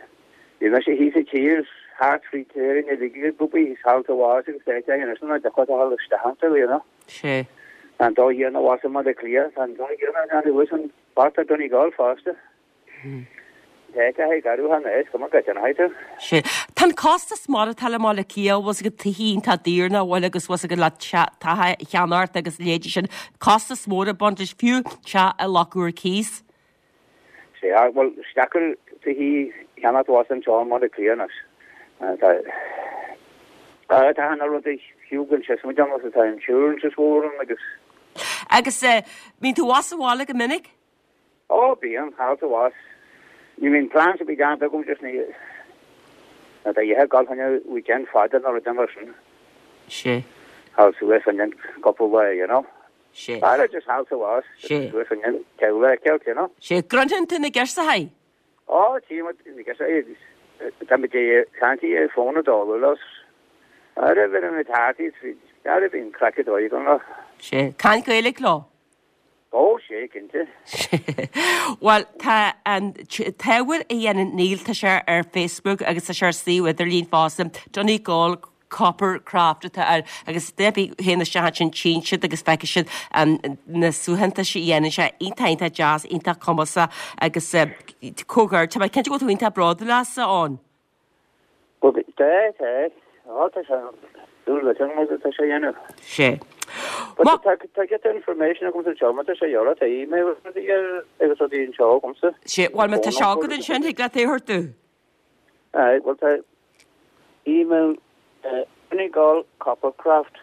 bhí mise thíos sa tír thart fríd tír na ligigh ag obair thíos thall sa bhás agus áit éigin anois ná deacair a dhul isteach iontu, you know. Sé. Tá an dóigh dhéanach abhus i mBaile Átha Cliath, tá an dóigh dhéanach gan abhus an bata Donegal fosta. Tá áit a haghaidh arú thar an cuma go dtéanfaidh tú. Sé. Tá an costas maireachtála i mBaile Átha Cliath, bhfuil 's agat tithe iontach daor nach bhfuil agus bhfuil 's agat le teach a cheannacht agus leithéidí sin, costas mór ag baint leis, fiú teach i Loch Iúir Cíos. Sea, bhuel, is deacair tithe a cheannacht abhus anseo i mBaile Átha Cliath anois. Tá, tá na rudaí fiú gan sios muid ann agus tá insurance is mhór ann agus. Agus bíonn tú abhus sa bhaile go minic? Ó, bíonn, thall is abhus. Ní bhíonn plans ar bith déanta agam just ní, ná tá oíche ag dul chun weekend fada nó rud mar sin. Sea. Thall suas chun cúpla lá, you know. Sé. Ara just thall is abhus. Sé. Suas an teaghlach a fheiceáil, you know. Sé. Gcroitheann tú na girseachaí? Ó, tchí muid na girseachaí agus tá muid ag caint ar fón ag dul leis. Ara bhí na tataí tríd. Ara bíonn craic ar dóigh agam leo. Sea. Caint Gaeilge leo? Ó, sea, cinnte. Bhuel, tá an t-ábhar a dhéanann Neil, tá sé ar Facebook agus tá sé ar suíomh idirlín fosta, Donegal Copper Craft atá air agus duine ar bith a théann isteach ansin tchíonn siad agus feicfidh siad na suaitheantais a dhéanann sé, iontach, iontach deas, iontach cumasach agus comhghairdeas, tá mé cinnte go bhfuil tú iontach bródúil as, a Eoin. Bhuel, tá, tá. Á, tá sé, dúil le teanga mar tá sé a dhéanamh. Sé. But tá, tá giota information agamsa anseo, má tá sé eolas, tá email rudaí ar, agus rudaí anseo agamsa. Sé, bhuel, má tá sé agat ansin, thig leat é a thabhairt domh. Aye, bhuel tá email donegalcoppercraft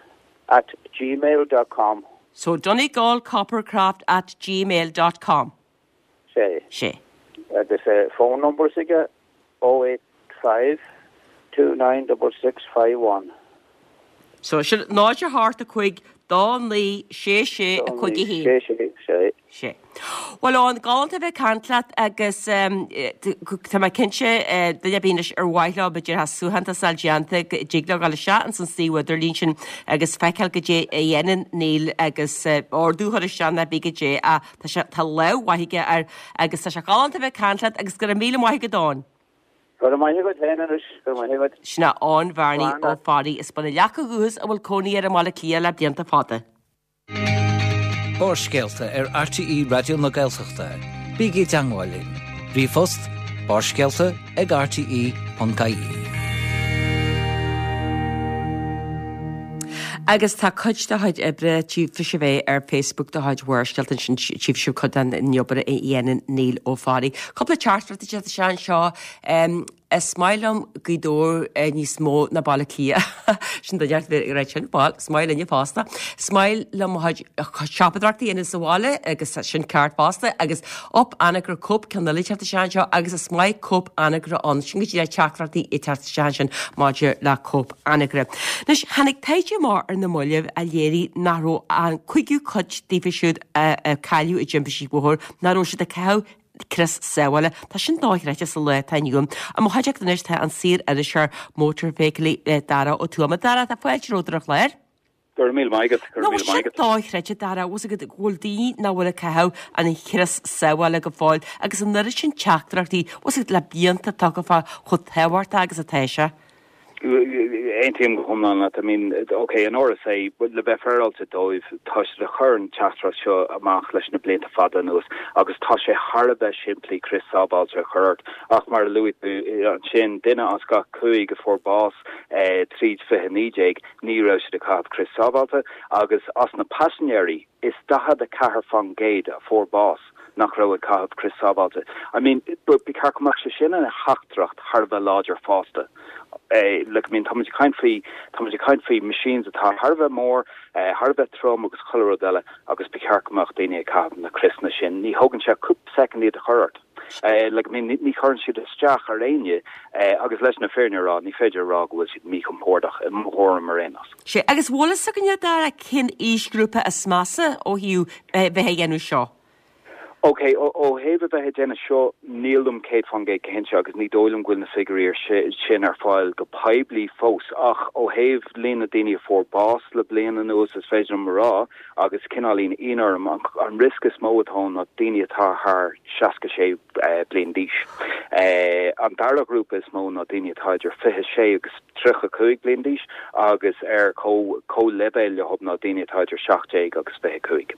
at gmail dot com. So, donegalcoppercraft at gmail dot com. Sé. Sé. Agus phone number s'aige 085 296651. So sin 0 8 5 2 9 6 6 5 1. 6 6 6. Sé. Bhuel Eoin, galánta a bheith ag caint leat agus tá mé cinnte duine ar bith anois ar mhaith leo b'fhéidir tá suaitheantas a fháil déanta go dtig leo dul isteach ins an suíomh idirlín sin agus feiceáil goidé a dhéanann Neil agus ordú a chur isteach nó pé goidé a Tá sé, tá lámh mhaith aige air agus tá sé galánta a bheith ag caint leat agus go raibh míle maith agat Eoin. Go raibh maith agat féin anois, go raibh maith agat. Sin é Eoin Bhearnaí Ó Fearraigh as Bun an Leaca ó dhúchas a bhfuil cónaí air i mBaile Átha Cliath le blianta fada. Barrscéalta ar RTÉ Raidió na Gaeltachta. Bígí i dteangmháil linn. Ríomhphost, barrscéalta ag rte.ie. Agus tá cuid de chuid oibre, tchífidh sibh é ar Facebook de chuid Bharrscéalta ansin, tchífidh sibh cuid den obair a dhéanann Neil Ó Fearraigh. Cúpla teachtaireacht ag teacht isteach anseo. Is maith liom Gaoth Dobhair níos mó ná Baile Átha Cliath. Sin duine ag rá sin, bhuel, is maith linne fosta. Is maith liom mo chuid siopadóireachta a dhéanamh sa bhaile agus sin ceart fosta agus Up Anagaire Coop ceann eile ag teacht isteach anseo agus is maith Coop Anagaire ann. Sin go díreach teachtaireachtaí ag teacht isteach ansin maidir le Coop Anagaire. Anois, tháinig taighde amach ar na mallaibh a léirigh nach raibh an cúigiú cuid daofa siúd a cailleadh i dtimpistí bóthair, nach raibh siad ag caitheamh crios sábhála. Tá sin dochreidte sa lá atá inniu ann. I mo chuideachta anois tá an saor-iriseoir mótarfheithiclí Dara Ó Tuama. Dara, tá fáilte romhat ar an chlár. Go raibh míle maith agat, go raibh míle maith agat. Dochreidte, Dara, bhfuil a fhios agat go bhfuil daoine nach bhfuil ag caitheamh an chrios sábhála go fóill agus an oiread sin teachtaireachtaí, bhfuil a fhios agat, le blianta tugtha fá chomh tábhachtach agus atá sé. Aontaím go hiomlán leat. I mean, ok, an RSA, le bheith féaráilte dóibh, tá siad ag cur an teachtaireacht seo amach leis na blianta fada anuas agus tá sé thar a bheith simplí crios sábháilte a chur ort ach mar a luaigh tú ansin, duine as gach cúig a fuair bás tríd 2019, ní raibh siad ag caitheamh crios sábháilte agus as na paisinéirí, is 44% a fuair bás nach raibh ag caitheamh crios sábháilte. I mean, ba cheart go mbeadh sé sin ina theachtaireacht thar a bheith láidir fosta. Like, I mean, táimid ag caint faoi, táimid ag caint faoi machines atá thar a bheith mór, thar a bheith trom agus chuile rud eile agus ba cheart go mbeadh daoine ag caitheamh na criosanna sin. Ní thógann sé cúpla soicind iad a chur ort. Like, I mean, ní chuireann siad isteach ar éinne agus leis na fírinne a rá, ní féidir a rá go bhfuil siad míchompordach, i mo thuairim ar aon nós. Sea, agus bhfuil fhios againne, a Dara, cén aoisghrúpa is measa ó thaobh bheith ag déanamh seo? Ok, ó thaobh a bheith ag déanamh seo, nílim 100% cinnte agus ní dóigh liom go bhfuil na figiúirí sin ar fáil go poiblí fós, ach ó thaobh líon na daoine a fuair bás le bliain anuas, is féidir liom a rá agus cineáilín ionadh orm, an riosca is mó atá ann ná daoine atá thar 66 bliain d'aois. An dara ghrúpa is mó ná daoine atá idir 26 agus 35 bliain d'aois agus ar comhleibhéal leo ná daoine atá idir 17 agus 25.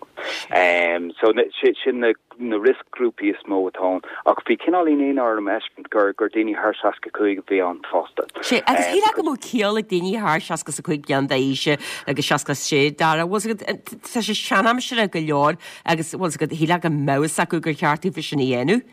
So sin na na rioscghrúpaí is mó atá ann, ach bhí cineáilín ionadh orm a fheiscint gur gur daoine thar 65 a bhí ann fosta. Sea, agus shílfeá go mbeadh ciall ag daoine thar 65 bliain d'aois agus 66, Dara, bhfuil 's agat, tá sé seanaimseartha go leor agus bhfuil 's agat, shílfeá go mbeadh fhios acu gur cheart daofa sin a dhéanamh.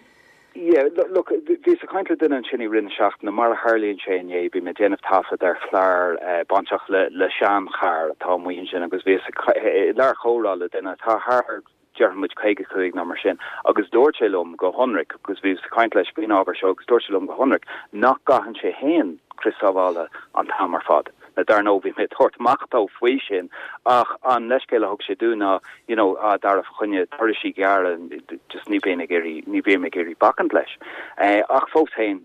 Yeah, look, bhíos ag caint le duine ansin i rith na seachtaine, mar a tharlaíonn sé inné, bhí mé ag déanamh taifead ar chlár bainteach le le seancharr atá amuigh ansin agus bhíos i lár chomhrá le duine atá thar déarfaidh muid 55 nó mar sin, agus dúirt sé liom go hionraic, agus bhíos ag caint leis faoin ábhar seo, agus dúirt sé liom go hionraic nach gcaitheann sé féin crios sábhála an t-am ar fad. Now dar ndóigh bhí mé ag tabhairt amach dó faoi sin ach an leithscéal a thug sé dúinn ná you know ah Dara fa choinne turaisí gearra just ní bhíonn ag iarraidh ní bhím ag iarraidh bacaint leis. Ach fós féin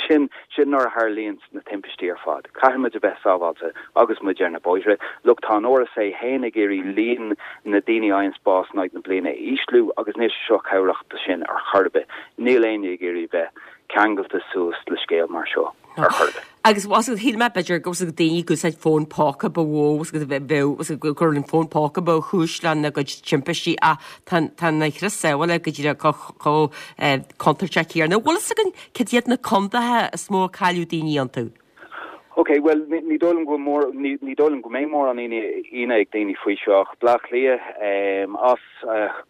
sin sin nuair a tharlaíonns na timpistí ar fad. Caithfidh muid a bheith sábháilte agus muid ar na bóithre. Look tá an RSA féin ag iarraidh líon na daoine a fhaigheanns bás in aghaidh na bliana a ísliú agus níl sé seo cabhrach do sin ar chor ar bith. Níl éinne ag iarraidh bheith ceangailte suas le scéal mar seo ar chor ar bith. Agus bhfuil a fhios agat, shíl mé b'fhéidir go bhfuil daoine ag úsáid fón póca ba mhó, bheadh go raibh an fón póca ba chúis lena gcuid timpistí ach tá tá na crios sábhála go díreach chomh contúirteach céanna. Bhfuil fhios againn cad iad na contaetha is mó a cailleadh daoine iontu? Ok, bhuel, ní dóigh liom go bhfuil mór, ní ní dóigh liom go mbeidh mórán ionadh ag daoine faoi seo ach Bleá Cliath, as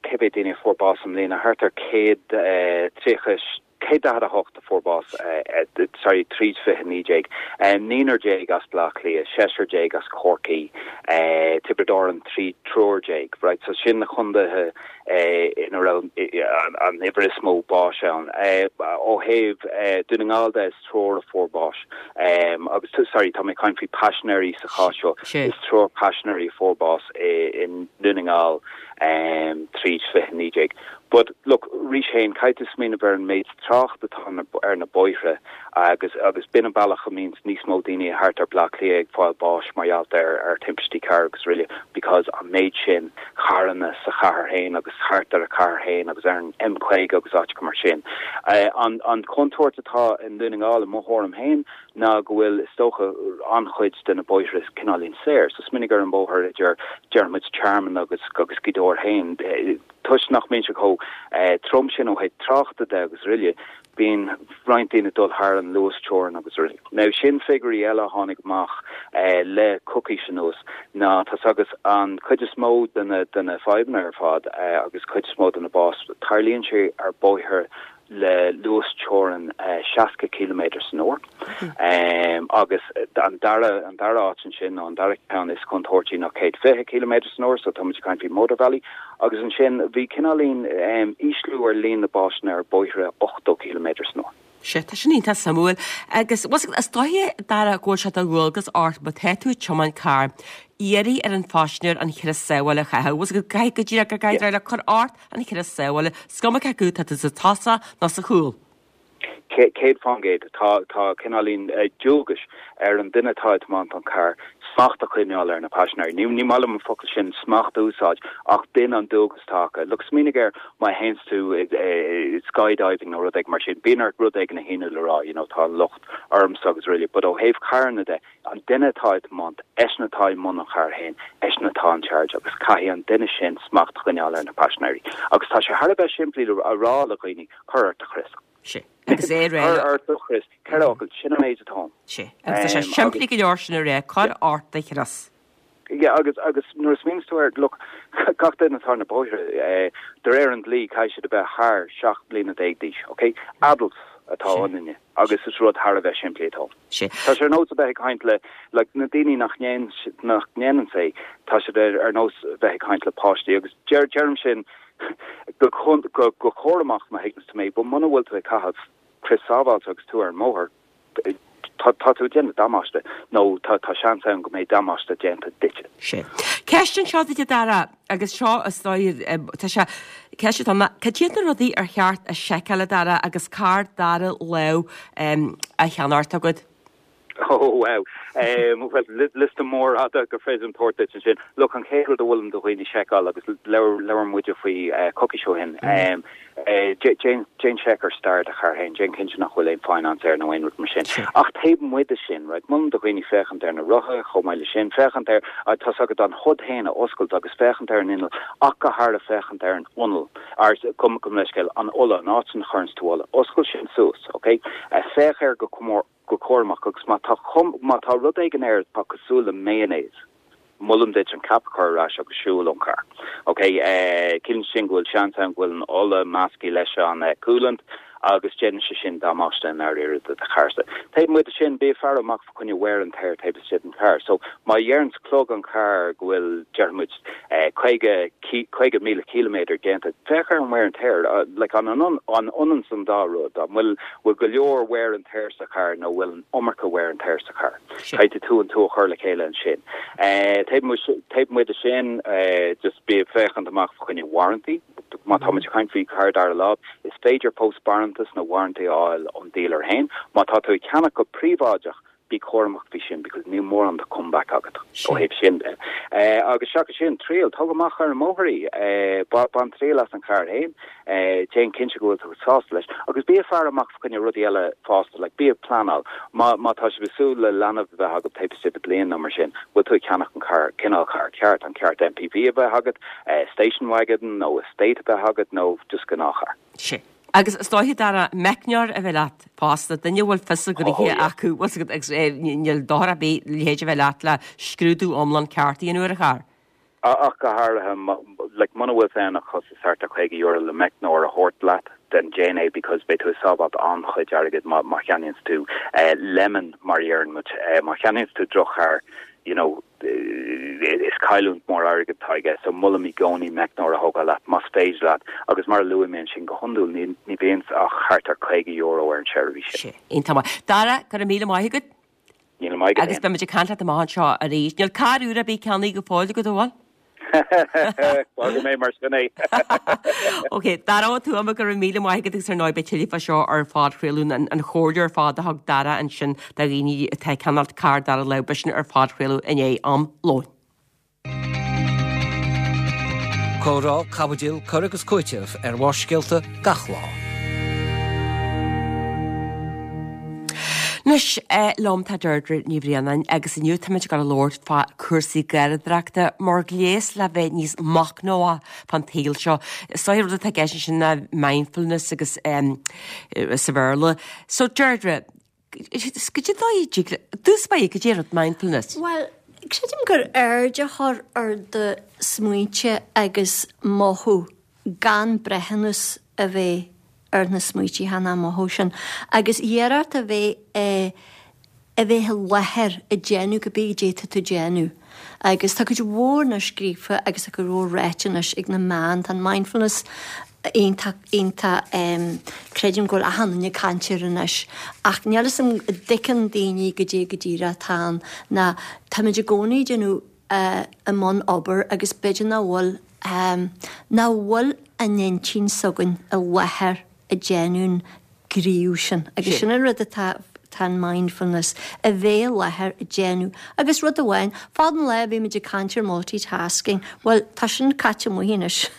cé mhéad daoine a fuair bás i mbliana, thart ar 130, 148 a fuair bás, sorry, tríd 2019, naonúr déag as Bleá Cliath, seisear déag as Corcaigh, Tiobraid Árann, triúr déag, right, so sin na condaetha ina raibh an uimhir is mó báis ann. Ó thaobh Dún na nGall de, is triúr a fuair bás agus, sorry, tá mé ag caint faoi paisinéirí sa chás seo, is triúr paisinéirí a fuair bás i nDún na nGall tríd 2019. But, look, arís féin, caithfidh tú smaoineamh ar an méid trácht atá ar na bóithre agus agus b'in an bealach a mbíonns níos mó daoine thart ar Bleá Cliath ag fáil báis mar gheall ar ar timpistí cairr agus araile because an méid sin carranna sa chathair féin agus thart ar an chathair féin agus ar an M50 agus áiteacha mar sin. An an chontúirt atá i nDún na nGall i mo thuairim féin ná go bhfuil is dócha an-chuid de na bóithre cineáilín saor. So smaoinigh ar an mbóthar idir déarfaidh muid Tearmann agus agus Gaoth Dobhair féin. Toisc nach mbíonn sé chomh trom sin ó thaobh tráchta de agus araile, bíonn roinnt daoine ag dul thar an luas teorann agus araile. Now sin figiúirí eile a tháinig amach le coicís anuas ná tá's agat an chuid is mó de na de na fadhbanna ar fad agus cuid is mó de na bás, tarlaíonn sé ar bóithre le luas teorann 60 ciliméadar san uair. Agus an dara an dara áit ansin nó an dara ceann is contúirtí ná 120 ciliméadar san uair, so tá muid ag caint faoi mótarbhealaí. Agus ansin bhí cineáilín ísliú ar líon na básanna ar bóithre 80 ciliméadar san uair. Sea, tá sin iontach suimiúil. Agus is dóiche, Dara, go bhfuil sé de dhualgas ort má tá tú ag tiomáint carr, iarraidh ar an phaisinéir an crios sábhála a chaitheamh. Bhfuil a fhios agat, go díreach go gcaithfidh le cur ort an crios sábhála, is cuma cé acu tá tú sa tosach nó sa chúl. 100%. Tá tá cineáilín dualgais ar an duine atá ag tiomáint an carr smacht a choinneáil ar na paisinéirí. Ní ní maith liom an focal sin smacht a úsáid ach b'in an dualgas atá acu. Look, smaoinigh air má théanns tú skydiving nó rud éigin mar sin, bíonn ort rud éigin a shíniú le rá, you know, tá an locht ormsa agus araile. But ó thaobh carranna de, An duine atá ag tiomáint, eisean atá i mbun an chairr féin, eisean atá in charge agus caithfidh an duine sin smacht a choinneáil ar na paisinéirí. Agus tá sé thar a bheith simplí a rá le dhaoine, cuir ort do chrios. Sea. Agus é a rá. Cuir ort do chrios. Ceithre fhocal, sin an méid atá ann. Sea. Agus tá sé simplí go leor sin a rá, cuir ort do chrios. Yeah, agus, agus nuair a smaoiníonns tú air, look, gach duine atá ar na bóithre, de réir an dlí, caithfidh siad a bheith thar 17 bliana d'aois, ok? Adults atá ionainne agus is rud thar a bheith simplí atá ann. Sea. Tá sé ar nós a bheith ag caint le, like, na daoine nach ndéan, nach ndéananns é, tá siad ar, ar nós a bheith ag caint le páistí agus deir, deirim sin go, go, go cúramach má thuigeanns tú mé, but muna bhfuil tú ag caitheamh crios sábháilte agus tú ar an mbóthar, tá tú ag déanamh damáiste nó tá seans ann go mbeidh damáiste déanta duitse. Sea. Ceist anseo duit a Dara, agus seo is dóigh, tá sé, ceist atá ann, cad iad na rudaí ar cheart a sheiceáil a Dara agus carr dara lámh á cheannacht agat? Oh wow. Bhuel, liosta mór fhada gur féidir liom tabhairt duit ansin. Look, an chéad rud a mholaim do dhaoine seiceáil agus labhair muide faoi coicís ó shin, Déan seic ar stair do charr féin, déan cinnte nach bhfuil aon finance air nó aon rud mar sin. Ach taobh amuigh de sin, right, molaim do dhaoine féachaint ar na rotha chomh maith leis sin, féachaint ar, tá's agat an hood féin a oscailt agus féachaint ar an inneall ach go háirithe féachaint ar an ional, ar, gabh mo leithscéal, an ola, an áit ina chuireanns tú ola. Oscail sin suas, ok? Féach air go go cúramach agus má tá má tá rud éigin air atá cosúil le mayonnaise, molaim duit an cap a chur ar ais agus siúl ón charr. Ok, ciallaíonn sin go bhfuil seans ann go bhfuil an ola measctha leis an coolant. Agus déanann sé sin damáiste i ndáiríre do do charrsa. Taobh amuigh de sin, bí ag faire amach fa choinne wear and tear taobh istigh den charr. So, má dheireanns clog an chairr go bhfuil, déarfaidh muid, 50, 50,000 ciliméadar déanta, féach ar an wear and tear, like, an ionann an dá rud? An bhfuil, bhfuil go leor wear and tear sa charr nó bhfuil an iomarca wear and tear sa charr? Caithfidh tú an tú a chur le chéile ansin. Taobh amuigh de sin, just bí ag féachaint amach fa choinne warranty. Má tá muid ag caint faoi charr dara lámh, is féidir fós barántas nó warranty a fháil ón dealer féin. Má tá tú ag ceannach go príobháideach, bí cúramach faoi sin because níl mórán de comeback agat ó thaobh sin de. Agus seachas sin, triail, tóg amach ar an mbóthar í, bain triail as an charr féin, déan cinnte go bhfuil tú sásta leis agus bí ag faire amach fa choinne rudaí eile fosta, like bí ag pleanáil. Má má tá sibh ag súil le leanbh a bheith agat taobh istigh de bliain nó mar sin, bhfuil tú ag ceannach an carr, cineál carr ceart, an ceart MPV a bheith agat, station wagon nó estate a bheith agat nó just gnáthcharr. Sea. Agus is dóiche, Dara, meicneoir a bheith leat fosta, duine a bhfuil fios a ghnoithe acu, bhfuil 's agat, agus níl dochar ar bith a leithéid a bheith leat le scrúdú iomlán ceart a dhéanamh ar an charr. Ach go háirithe, like, muna bhfuil sé ann ach costas thart ar €50 le meicneoir a thabhairt leat, then déan é because beidh tú ag sábháilt an-chuid airgid má má cheannaíonns tú lemon mar a dheireann muid, má cheannaíonns tú droch-charr, you know, is cailliúint mór airgid atá i gceist so molaim i gcónaí meicneoir a thógáil leat más féidir leat agus mar a luaigh mé ansin go hiondúil ní ní bhíonns ach thart ar €50 ar an seirbhís sin. Iontach maith. Dara, go raibh míle maith agat. Míle maith agat Agus beimid ag caint leat amach anseo arís. Níl carr úr ar bith ceannaithe go fóill agat, an bhfuil? Fágfaidh mé mar sin é. Ok, Dara Ó Tuama, go raibh míle maith agat agus ar ndóigh beidh tuilleadh fá seo ar phodchraoladh, an chomhairle ar fad a thug Dara ansin do dhaoine atá ag ceannacht carr dara lámh, beidh sin ar phodchraoladh i ndiaidh am lóin. Comhrá, caibidil, cur agus cúiteamh ar Bharrscéalta gach lá. Anois liom tá Deirdre Ní Bhraonáin agus inniu táimid ag dul a labhairt fá cúrsaí garraíodóireachta mar ghléas le bheith níos machnamhaí fán tsaol seo. Is dóigh rud atá i gceist ansin ná mindfulness agus sa Bhéarla. So Deirdre, goidé an dóigh a dtig le, dtús báire, goidé rud mindfulness? Bhuel, creidim gur aird a chur ar do smaointe agus mothú gan breithiúnas a bheith ar na smaoitithe ná mothú sin agus iarracht a bheith a bheith i láthair ag déanamh cibé goidé atá tú ag déanamh. Agus tá cuid mhór anois scríofa agus tá cuid mhór ráite anois ag na meáin, tá an mindfulness iontach, iontach, creidim go bhfuil achan duine ag caint air anois ach níl fhios agam an dtuigeann daoine goidé go díreach atá ann ná táimid i gcónaí ag déanamh i mbun obair agus b'fhéidir nach bhfuil nach bhfuil an intinn s'againn i láthair ag déanamh an gníomh sin agus sin an rud atá tá an mindfulness, a bheith i láthair ag déanamh agus rud amháin, fad an lá bhí muid ag caint ar multitasking, bhuel tá sin caite amuigh anois.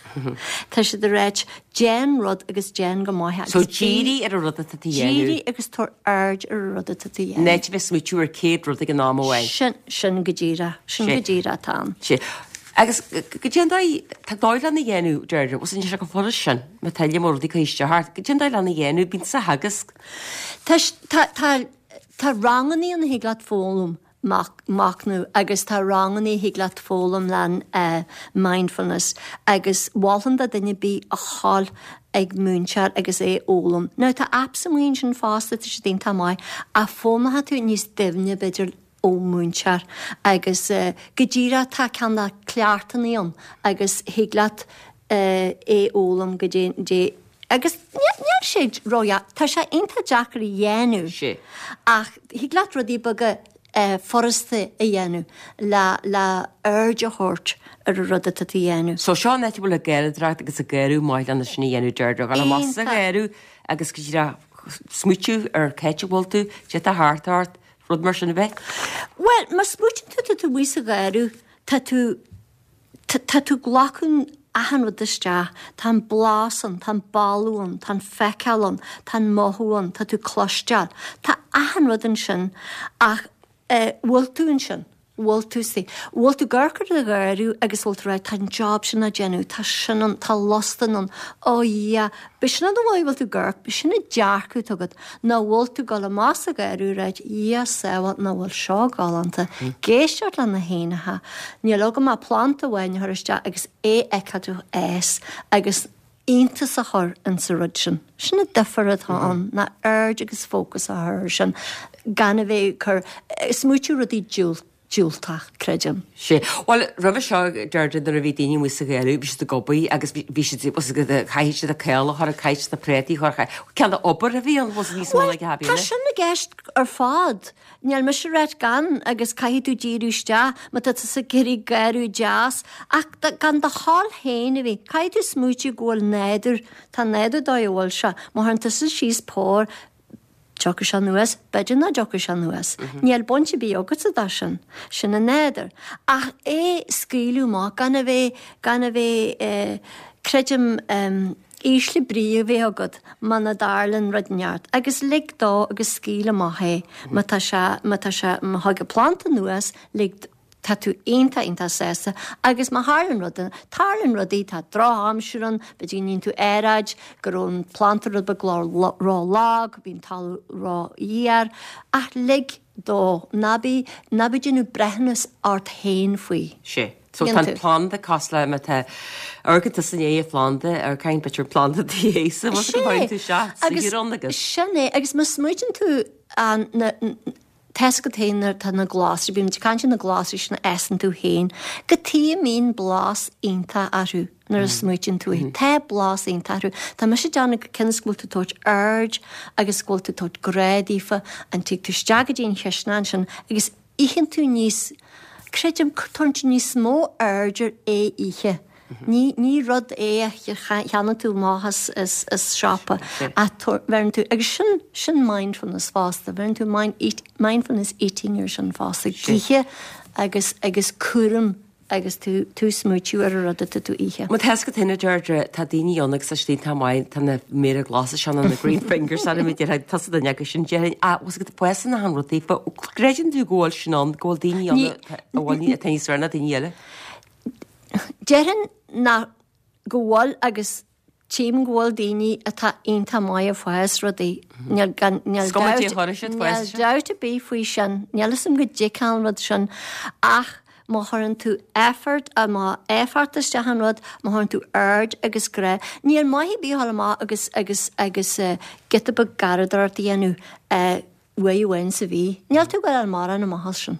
Tá siad ag ráit déan rud agus déan go maith agus So dírigh ar an rud atá tú a dhéanamh. Dírigh agus tabhair aird ar an rud atá tú a dhéanamh. In áit a bheith ag smaoitiú ar 100 rud ag an am amháin. Sin, sin go díreach, sin go díreach atá ann. Sea. Agus goidé an dóigh, tá dóigh lena dhéanamh, Deirdre, bhuel níl sé chomh furast sin, má tá iliomad rudaí ag cur isteach ort, goidé an dóigh lena dhéanamh, bíonn sa theagasc. Tá, tá, tá, tá rangannaí ann a thig leat foghlaim machnamh agus tá rangannaí a thig leat foghlaim le mindfulness agus mholfainn do duine ar bith a ghabháil ag múinteoir agus é a fhoghlaim. Now tá apps amuigh ansin fosta, tá siad iontach maith ach foghlaimeoidh tú níos doimhne b'fhéidir ó mhúinteoir agus go díreach tá cineál cleachtannaí ann agus thig leat é a fhoghlaim go dé agus níl sé ró-dheacair, tá sé iontach deacair a dhéanamh ach thig leat rudaí beaga furasta a dhéanamh le le aird a thabhairt ar an rud atá tú a dhéanamh. So seo an áit a bhfuil an gharraíodóireacht agus an garraí maith lena sin a dhéanamh Deirdre, dhul amach sa gharraí agus go díreach smaoitiú ar cá háit a bhfuil tú, cad é atá thart ort, rud mar sin a bheith. Bhuel, má smaoitíonn tú tá tú amuigh sa gharraí, tá tú Tá tú ag glacadh achan rud isteach, tá an blas ann, tá an boladh ann, tá an feiceáil ann, tá an mothú ann, tá tú ag cloisteáil. Tá achan rud ansin ach eh bhfuil tú ansin? Bhfuil tú sa, bhfuil tú ag amharc ar do gharraí agus bhfuil tú ag rá tá an job sin á déanamh, tá sin ann, tá lustan ann, oh yeah, b'shin an dóigh a bhfuil tú ag amharc, b'shin an dearcadh atá agat. Nó bhfuil tú ag dul amach sa gharraí ag ráit, Dhia sábháil, nach bhfuil seo galánta, ag éisteacht le na héanacha, níl agam ach planda amháin a chur isteach agus é a fheiceáil ag fás agus Iontas a chur insa rud sin. Sin an difear atá ann, ná aird agus fócas a chur air sin, gan a bheith ag cur, smaoitiú rudaí diúltach, creidim. Sea. Bhuel, roimhe seo, Deirdre, nuair a bhí daoine amuigh sa gharradh, bhí siad ag obair agus bhí siad, chaithfidh siad an caol a chur, caithfidh siad na préataí a chur, cineál de obair a bhí ann, bhfuil níos mó ná Bhuel, tá sin i gceist ar fad. Níl mise ag ráit gan agus caithfidh tú díriú isteach má tá tusa ag iarraidh garradh deas ach gan do thoil féin a bheith, caithfidh tú smaoitiú go bhfuil nádúr, tá nádúr dóigh a bhfuil sé, má chuireann tusa síos pór, tiocfaidh sé anuas, b'fhéidir nach dtiocfaidh sé anuas. Níl baint ar bith agatsa dó sin. Sin an nádúr. Ach é scaoileadh amach, gan a bheith, gan a bheith eh, creidim eh, ísle brí a bheith agat muna dtarlann rud inteacht. Agus lig dó agus scaoil amach é má tá sé, má tá sé, má thig an planda anuas, lig, tá tú iontach, iontach sásta agus má tharlann rud, tarlaíonn rudaí, tá drochaimsir ann, b'fhéidir go ndéanann tú earráid, go raibh an planda rud beag ró-lag, bhí an talamh ró-fhuar, ach lig dó, ná bí, ná bí ag déanamh breithiúnas ort féin faoi. Sea. So tá an planda cosúil le má tá, amharcann tusa i ndiaidh an phlanda, amharcann b'fhéidir an planda i do dhiaidhse, bhfuil tú ag isteach sa thír agus. Sin é, agus má smaoitíonn tú an, na, Tá's agat féin nuair atá na glasraí, bímid ag caint ar na glasraí sin a fhásann tú féin, cad chuige a mbíonn blas iontach orthu nuair a smaoitíonn tú é. Tá blas iontach orthu. Tá mise ag déanamh go cionn is go bhfuil tú ag tabhairt aird agus go bhfuil tú ag tabhairt grá daofa, an tig tú isteach go dtí an chisteanach ansin agus itheann tú níos, creidim, tugann tú níos mó aird ar é ithe. Ní, ní rud é a cheannaíonn tú amach as, as, as siopa ach bheireann tú, agus sin, sin mindfulness fosta, bheireann tú mind, eat, mindfulness eating ar sin fosta, ag ithe agus, agus cúram agus tú, tú smaoitiú ar an rud atá tú ithe. Má tá fhios agat féin a Deirdre, tá daoine ann agus tá siad iontach maith, tá na méara glasa seo nó na green fingers ann, a déarfá, tusa duine acu sin, déarfainn, ah, bhfuil fhios agat, fásann achan rud daofa, creideann tú go bhfuil sin ann, go bhfuil daoine ann a bhfuil, atá níos fearr ná daoine eile? Déarfainn nach go bhfuil agus tchím go bhfuil daoine atá iontach maith ag fás rudaí. Níl gan níl Is cuma cé chuirfidh siad níl fás. dabht ar bith faoi sin. Níl fhios a'm go dtig an rud sin ach má chuireann tú effort má éifeacht isteach an rud, má chuireann tú aird agus grá, níl maith ar bith a dhul amach agus agus agus giota beag garraíodóireacht a dhéanamh uair amháin sa mhí. Níl tú ag gabháil a fháil mórán amach as sin.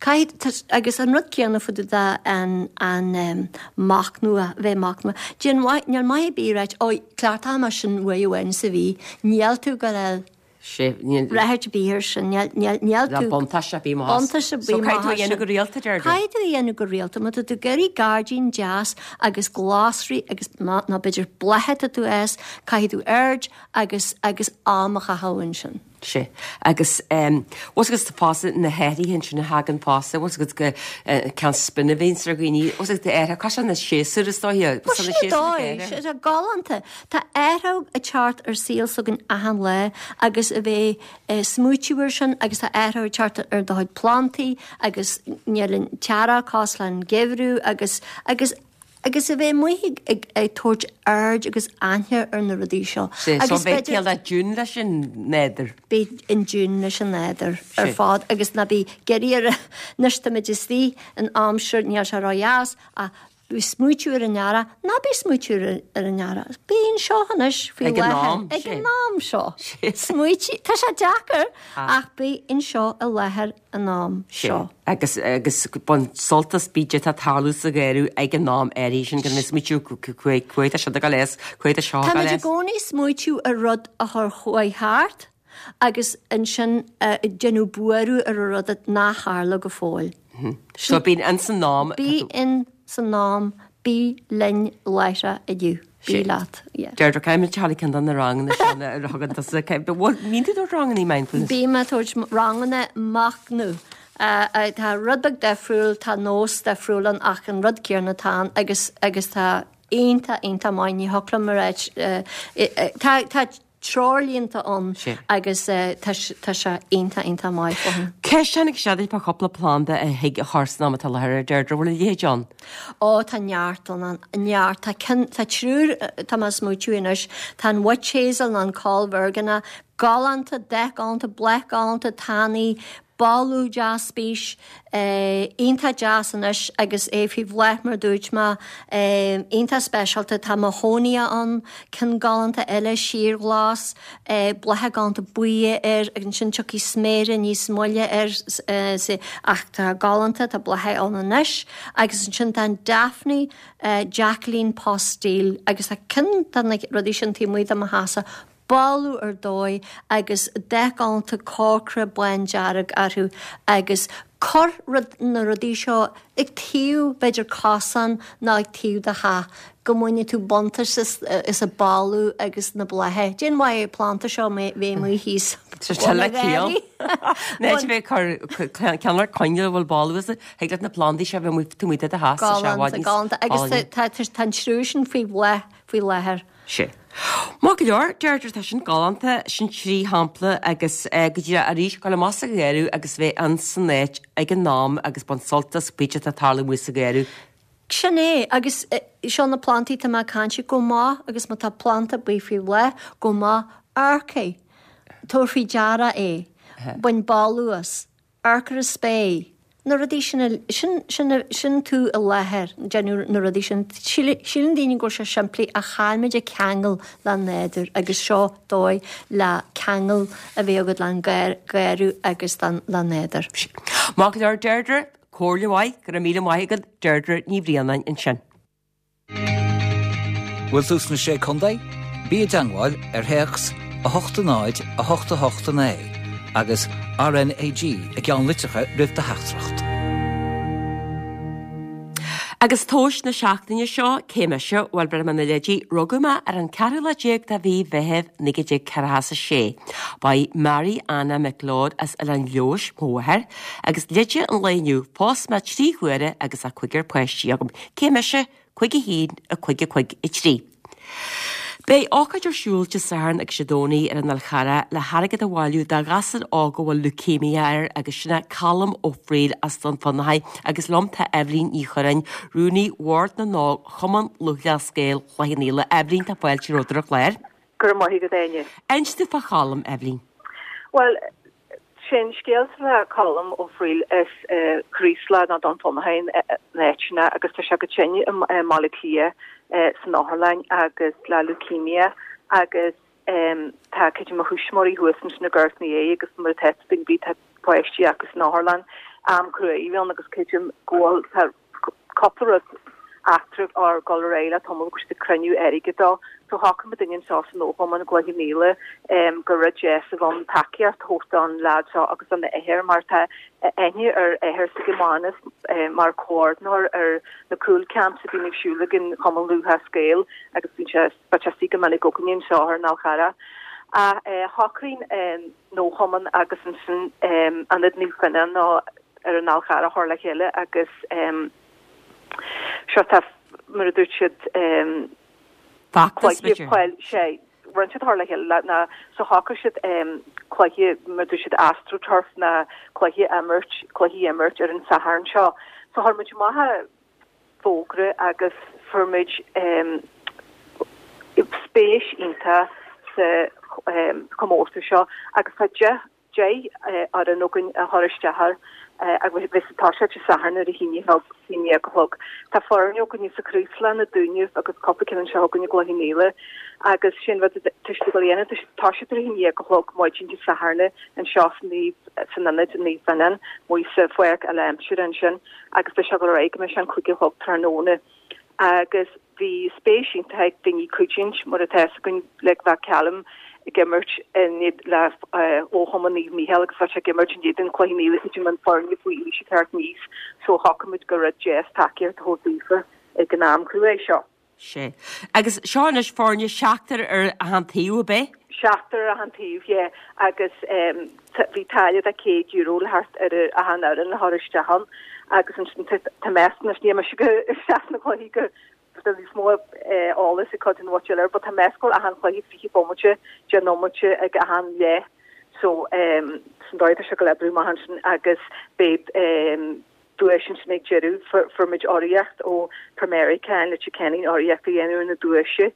Caithfidh, agus an rud céanna fá dtaobh de an, an machnamh, a bheith machnamh. Déan mhaith, níl maith ar bith a ráit, ó, cleachtóidh mé sin uair amháin sa mhí. Níl tú ag gabháil a fháil Sé, níl. rath ar bith air sin. Níl, níl, níl tú. Níl buntáiste ar bith amach as. Buntáiste ar bith So caithfidh tú amach a as dhéanamh sin. go rialta, Deirdre. Caithfidh tú a dhéanamh go rialta. Má tá tú ag iarraidh gairdín deas agus glasraí agus nó, nó b'fhéidir blátha atá tú a fhás, caithfidh tú aird agus, agus am a chaitheamh ansin. Sea. Agus em, bhfuil fhios agat fosta na hathruithe ansin a thagann fosta, bhfuil fhios agat go eh, ceann spin a bhíonns ar dhaoine, bhfuil fhios agat athruithe, cosúil na séasúir is dóiche, Bhuel, sna sin séasúir dóigh, ag sé galánta. Tá athrú ag teacht ar saol s'againn achan lá agus a bheith ag smaoitiú ar sin agus tá athrú ag teacht ar do chuid plantaí agus níl an t-earrach cosúil leis an geimhreadh agus, agus Agus a bheith amuigh ag tabhairt aird agus aithne ar na rudaí seo. Sea, so Agus bheith b'fhéidir. cineál in tune leis an nádúr. Bheith in tune leis an nádúr ar Sea. fad agus ná bí ag iarraidh ar anois táimid istigh in aimsir, níl sé ródheas ach bí ag smaoitiú ar an earrach, ná bí ag smaoitiú ar an earrach. Bí anseo anois faoi Ag an láthair am, ag sea. an am seo. Sea. Smaoitigh, tá sé deacair Ah. ach bí anseo i láthair an am seo. Agus agus bain sult as bídh atá ag tarlú sa gharradh ag an am áirithe sin gan bheith smaoitiú cá tá siad ag dul as, cá tá seo ag Táimid dul i as. gcónaí ag smaoitiú ar rud a chur chuaigh thart agus ansin ag déanamh buaireamh ar an rud nach tharla go fóill. So bí ins an am. Bí in san am, bí linn láithreach inniu. Bí leat, yeah. Deirdre, caithfidh muid teacht ag ceann de na ranganna seo a thugann tusa. Bhfuil, mbíonn tú ag tabhairt ranganna mindfulness? Bím ag tabhairt ranganna machnaimh. Tá rud beag difriúil, tá nós difriúil ann ach an rud céanna atá ann agus agus tá iontach, iontach maith, ní thiocfadh liom a ráit, tá, tá treoirlínte ann agus tá sé iontach, iontach maith fúthu. Ceist tháinig isteach duit fá chúpla planda a thig a chur san am atá i láthair, a Deirdre, bhfuil a leithéid ann? Ó, tá neart ann, neart. Tá ceann, tá triúr, tá mé ag smaoitiú anois, tá an witch hazel nó an coll mheirgeanach, galánta, dath galánta, bláth galánta, tanaí. Boladh deas spíce, iontach deas anois agus é faoi bhláth mar dúirt mé, iontach speisialta. Tá mahonia ann, ceann galánta eile síorghlas, blátha galánta buí air agus ansin tiocfaidh sméara níos moille air ach tá galánta, tá blátha ann anois agus ansin tá an Daphne Jacqueline Postill agus tá ceann de na rudaí sin taobh amuigh de mo theachsa, boladh ar dóigh agus dath galánta corcra bándearg orthu agus cuir rud na rudaí seo ag taobh b'fhéidir cosán nó ag taobh do theach go mbainfidh tú buntáiste as a boladh agus na blátha. Cén mhaith an planda seo bheith amuigh thíos Tá le ciall. Ní bheith cur ceann ar coinneal a bhfuil boladh as thig leat na plandaí seo bheith amuigh taobh amuigh de do theach sa Galánta, galánta agus tá an triúr sin faoi bhláth faoi láthair. Sea. Maith go leor, Deirdre, tá sin galánta, sin trí shampla agus go díreach arís, gabháil amach sa gharradh agus bheith ann san áit ag an am agus baint sult as pé atá ag tarlú amuigh sa gharradh. Sin é, agus seo na plandaí atá mé ag caint go maith agus má tá planda ar bith faoi bhláth, go maith, amharc air, tabhair faoi deara é, bain boladh as. Amharc ar an spéir, na rudaí sin, sin, sin, sin tú i láthair, déanamh na rudaí sin. Síleann daoine go bhfuil sé simplí ach caithfimid ceangal le nádúr agus seo dóigh le ceangal a bheith agat le an garradh agus le nádúr. Maith go leor Deirdre, comhairle mhaith, go raibh míle maith agat Deirdre Ní Bhraonáin ansin. Bhfuil tú sna Sé Contae? Bí i dteangmháil ar théacs 8 0 8 8 9 agus RNAG i gceannlitreacha roimh do theachtaireacht. Agus tomhas na seachtaine seo, cé mise? Bhuel, b'fhéidir na leidí, rugadh mé ar an ceathrú lá déag de mhí Mheithimh 1946. Ba í Mary Anna McLeod as Oileán Leodhais mo mháthair, agus leide an lae inniu, phós mé trí huaire agus tá cúigear páistí agam. Cé mise? 5 1 5 5 3. Beidh ócáid ar siúl Dé Sathairn agus Dé Domhnaigh ar an Fhál Charrach le hairgead a bhailiú do ghasúr óg a bhfuil leukaemia air agus sin é Colm Ó Frighil as Dún Fionnachaidh agus liom tá Eibhlín Ní Churráin, Rúnaí Bhord na nÓg Chumann Lúthchleas Gael Chloich Cheann Fhaola. Eibhlín, tá fáilte romhat ar an chlár. Go raibh maith agat, Áine. Inis domh fá Cholm, Eibhlín. Bhuel, Sé'n scéal le Colm Ó Frighil is Craoslach nó Dún Fionnachaidh an áit sin agus tá sé go tinn i mBaile Átha Cliath san otharlann agus le leukemia agus tá cuid de mo thuismitheoirí thuas ansin i gCorca Dhuibhne agus mar atá daoine bhí tá páistí acu san otharlann am cruaidh a bhí ann agus creidim go bhfuil tá cúpla rud eachtra ag dul ar aghaidh le tamall go bhfuil siad ag cruinniú airgid dó. So shocraigh muid anseo san Fhochumann i gCloich Cheann Fhaola gur rud deas a bheadh ann tacaíocht a thabhairt don leaid seo agus don athair mar tá aithne ar athair s'aige Mánas mar comhordaitheoir ar na cúl camps a bhíonn ag siúl ag an Chumann Lúthchleas Gael agus bíonn sé bheadh sé istigh go minic againne anseo ar an Fhál Charrach. Ach shocraigh an Fhochumann agus ansin Ionad Naomh Fionán ar an Fhál Charrach a chur le chéile agus seo tá, mar a dúirt siad, Feachtas, cluiche, bhuel, sé, rinne siad a chur le chéile le, ná, so shocraigh siad cluiche, mar a dúirt siad, astroturf ná cluiche a imirt, cluichí a imirt ar an Satharn seo. So chuir muid amach an fógra agus fuair muid spéis iontach sa chomórtas seo agus tá 10 10 fhoireann againn a chuir isteach air agus beidh sé ag toiseacht Dé Sathairn ar a haon déag a chlog. Tá foirne againne sa Chraoslach, na Dúnaibh agus cúpla ceann anseo againn i gCloich Cheann Fhaola agus sin rud atá siad ag dul a dhéanamh, tá siad ag toiseacht ar a haon déag a chlog maidin Dé Sathairn anseo san san ionad Naomh Fionán, amuigh sa pháirc uile-aimsire ansin agus beidh sé ag dul ar aghaidh go mbeidh sé an cúig a chlog tráthnóna. Agus bhí spéis iontach ag daoine cuidiúint, mar atá fhios againn, like bheadh Callum ag imirt in le Comharchumann Naomh Mícheál agus bheadh sé ag imirt in éadan Chloich Cheann Fhaola creidim an foirne faoi aois ag teacht aníos so shocraigh muid gur rud deas tacaíocht a thabhairt daofa ag an am cruaidh seo. Sea. Agus seo anois foirne seachtar ar achan taobh, ab é? Seachtar ar achan taobh, yeah. Agus bhí táille de €100 le theacht ar achan fhoireann le chur isteach ann. Agus ansin tá meas anois, níl mise go isteach sna cluichí go tá níos mó eolas ag cuid den mhuintir eile, but tá meas go bhfuil achan chluiche 20 bomaite, 10 nóiméad ag achan leath. So san dóigh atá sé ag dul oibriú amach ansin agus beidh duais ansin ag deireadh. Fuair muid urraíocht ó Pramerica in Leitir Ceanainn urraíocht a dhéanamh ar na duaise,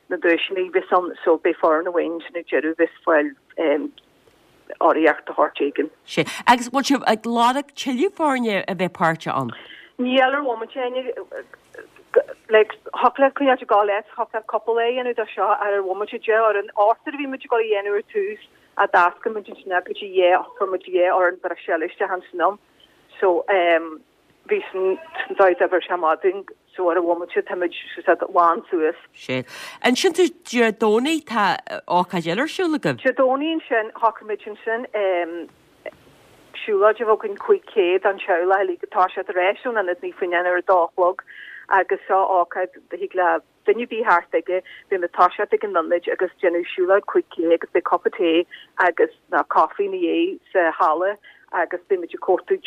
na duaiseanna a bheas ann so beidh foireann amháin ansin ag deireadh bheas fáil. urraíocht de shórt éigin. Sea. Agus bhfuil sibh ag lorg tuilleadh foirne a bheith páirteach ann? Níl ar an bhomaite, Áine. Like, thiocfadh leat coinneáil ag gabháil leat, thiocfadh leat cúpla lá a dhéanamh de seo ar an bhomaite de ar an ochtar a bhí muid ag dul a dhéanamh ar tús a d'oscail muid ansin go dtí dhá, chuir muid dhá fhoireann breise eile isteach ansin ann. So, um, bhí san dóigh d'oibir sé maith dúinn so ar an bhomaite táimid said lán suas. Sea. Ansin tú Dé Domhnaigh tá ócáid eile ar siúl agaibh? Dé Domhnaigh ansin shocraigh muid ansin siúlóid a bheith againn 5K don teaghlach uilig atá siad ar ais ón Ionad Naomh Finian ar a dó a chlog agus seo ócáid a thig le duine ar bith theacht aige, beidh muid ag toiseacht ag an ionad agus déanamh siúlóid 5K agus beidh cupa tae agus nó coffee ina dhiaidh sa halla agus beidh muid ag cuartú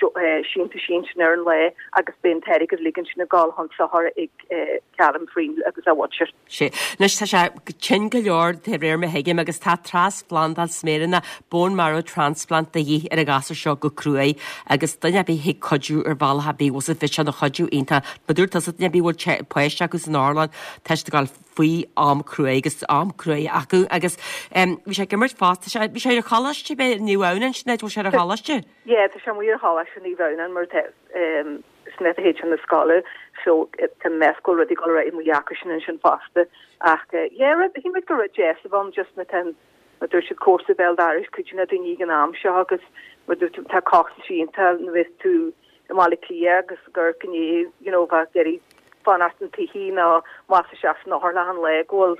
síntiúisí ansin ar an lá agus beidh an t-airgead uilig ansin ag dul chun sochair ag Colm Friel agus a mhuintir. Sea. Anois tá sé tinn go leor de réir mar a thuigim agus tá trasphlandáil sméireanna, bone marrow transplant, de dhíth ar an ghasúr seo go cruaidh agus duine ar bith a thig cuidiú ar bhealach ar bith, bhfuil fhios agat, bheadh sé ina chuidiú iontach. Mar dúirt tusa, duine ar bith a bhfuil páiste acu san otharlann, tá siad ag dul faoi am cruaidh agus am cruaidh acu agus bhí sé ag imirt fosta, tá sé, bhí sé ar an choláiste, b'é Naomh Adhamhnáin sin é, bhfuil sé ar an choláiste? Yeah, tá sé amuigh ar choláiste Naomh Adhamhnáin mar tá san áit a théid chun na scoile so tá meas go bhfuil rudaí ag dul ar aghaidh amuigh acu sin ansin fosta ach yeah, rud, shíl muid gur rud deas a bheadh ann just na tá mar dúirt siad cúrsaí béal dorais cuid de na daoine ag an am seo agus mar dúirt tú tá costas iontach nuair a bheas tú i mBaile Átha Cliath agus gur gné you know bheith ag iarraidh fanacht an tsoithí nó más isteach san otharlann an lae go bhfuil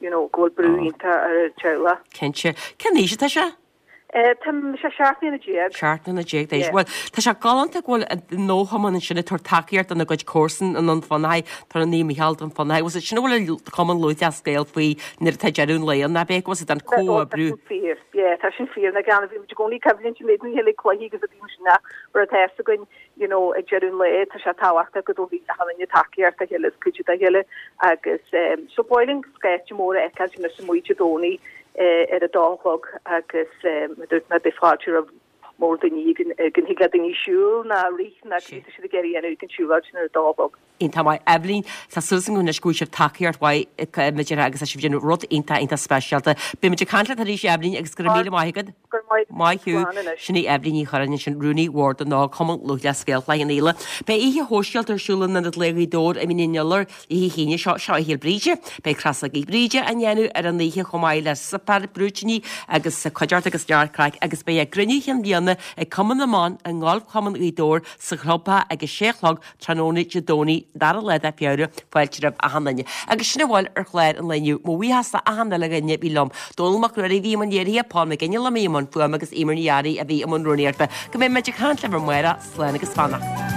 you know go bhfuil brú iontach ar an teaghlach. Cinnte. Cén aois atá sé? Tá sé 17 mbliana. 17 mbliana d'aois. Bhuel, tá sé galánta go bhfuil an Ógchumann ansin ag tabhairt tacaíocht dona gcuid comharsan i nDún Fionnachaidh, tá an Naomh Micheál Dún Fionnachaidh. Bhfuil sin a bhfuil an Cumann Lúthchleas Gael faoi nuair atá deireadh an lae ann, ab é? Go bhfuil siad an comhoibriú. Tá sin fíor. Yeah, tá sin fíor. Na gan bhí muid i gcónaí coimhlint an méid ní cluichí agus a bhí sin ach mar atá fhios againn, you know, ag deireadh an lae, tá sé tábhachtach go dtabharfaidh achan duine tacaíocht dá chéile is cuidiú dá chéile agus ehm so ba mhaith linn scáilte mór a fheiceáil sin is amuigh Dé Domhnaigh eh ar a dó a chlog agus ehm mar dúirt mé beidh fáilte roimh mór daoine ag an ag an thig le daoine siúl ná rith ná cad tá siad ag iarraidh a dhéanamh ag an siúlóid sin ar a dó a chlog. Iontach maith. Eibhlín, tá súil agam anois go bhfuil sibh tacaíocht mhaith ag agus tá sibh ag déanamh rud iontach iontach speisialta. Beidh muid ag caint leat arís Eibhlín agus go raibh míle maith agat. Go raibh maith agat. Maith thú. Slán anois. Sin í Eibhlín Ní Churráin ansin, Rúnaí Bhord na nÓg, Cumann Lúthchleas Gael Chloich Cheann Fhaola. Beidh oíche shóisialta ar siúl in Ionad Lae Ghaoth Dobhair i Mín an Iolair oíche hAoine seo, seo Oíche Fhéil Bríde. Beidh crosógaí Bríde á ndéanamh ar an oíche chomh maith le suipéar brúitíní agus cuideachta agus neart craic agus beidh a gcruinniú chinn bhliana ag Cumann na mBan i nGolfchumann Ghaoth Dobhair sa chlubtheach ag a sé a chlog Tráthnóna Dé Domhnaigh, dara lá de Feabhra, fáilte roimh achan duine. Agus sin a bhfuil ar chlár an lae inniu. Mo bhuíochas do achan uile dhuine a bhí liom. Dónall Mac Ruairí a bhí i mbun léirithe, Paul McGinley a bhí i mbun fuaime agus Eimear Ní Fhearraigh a bhí i mbun rúnaíochta. Go mbeidh muid ag caint libh amárach, slán agus beannacht.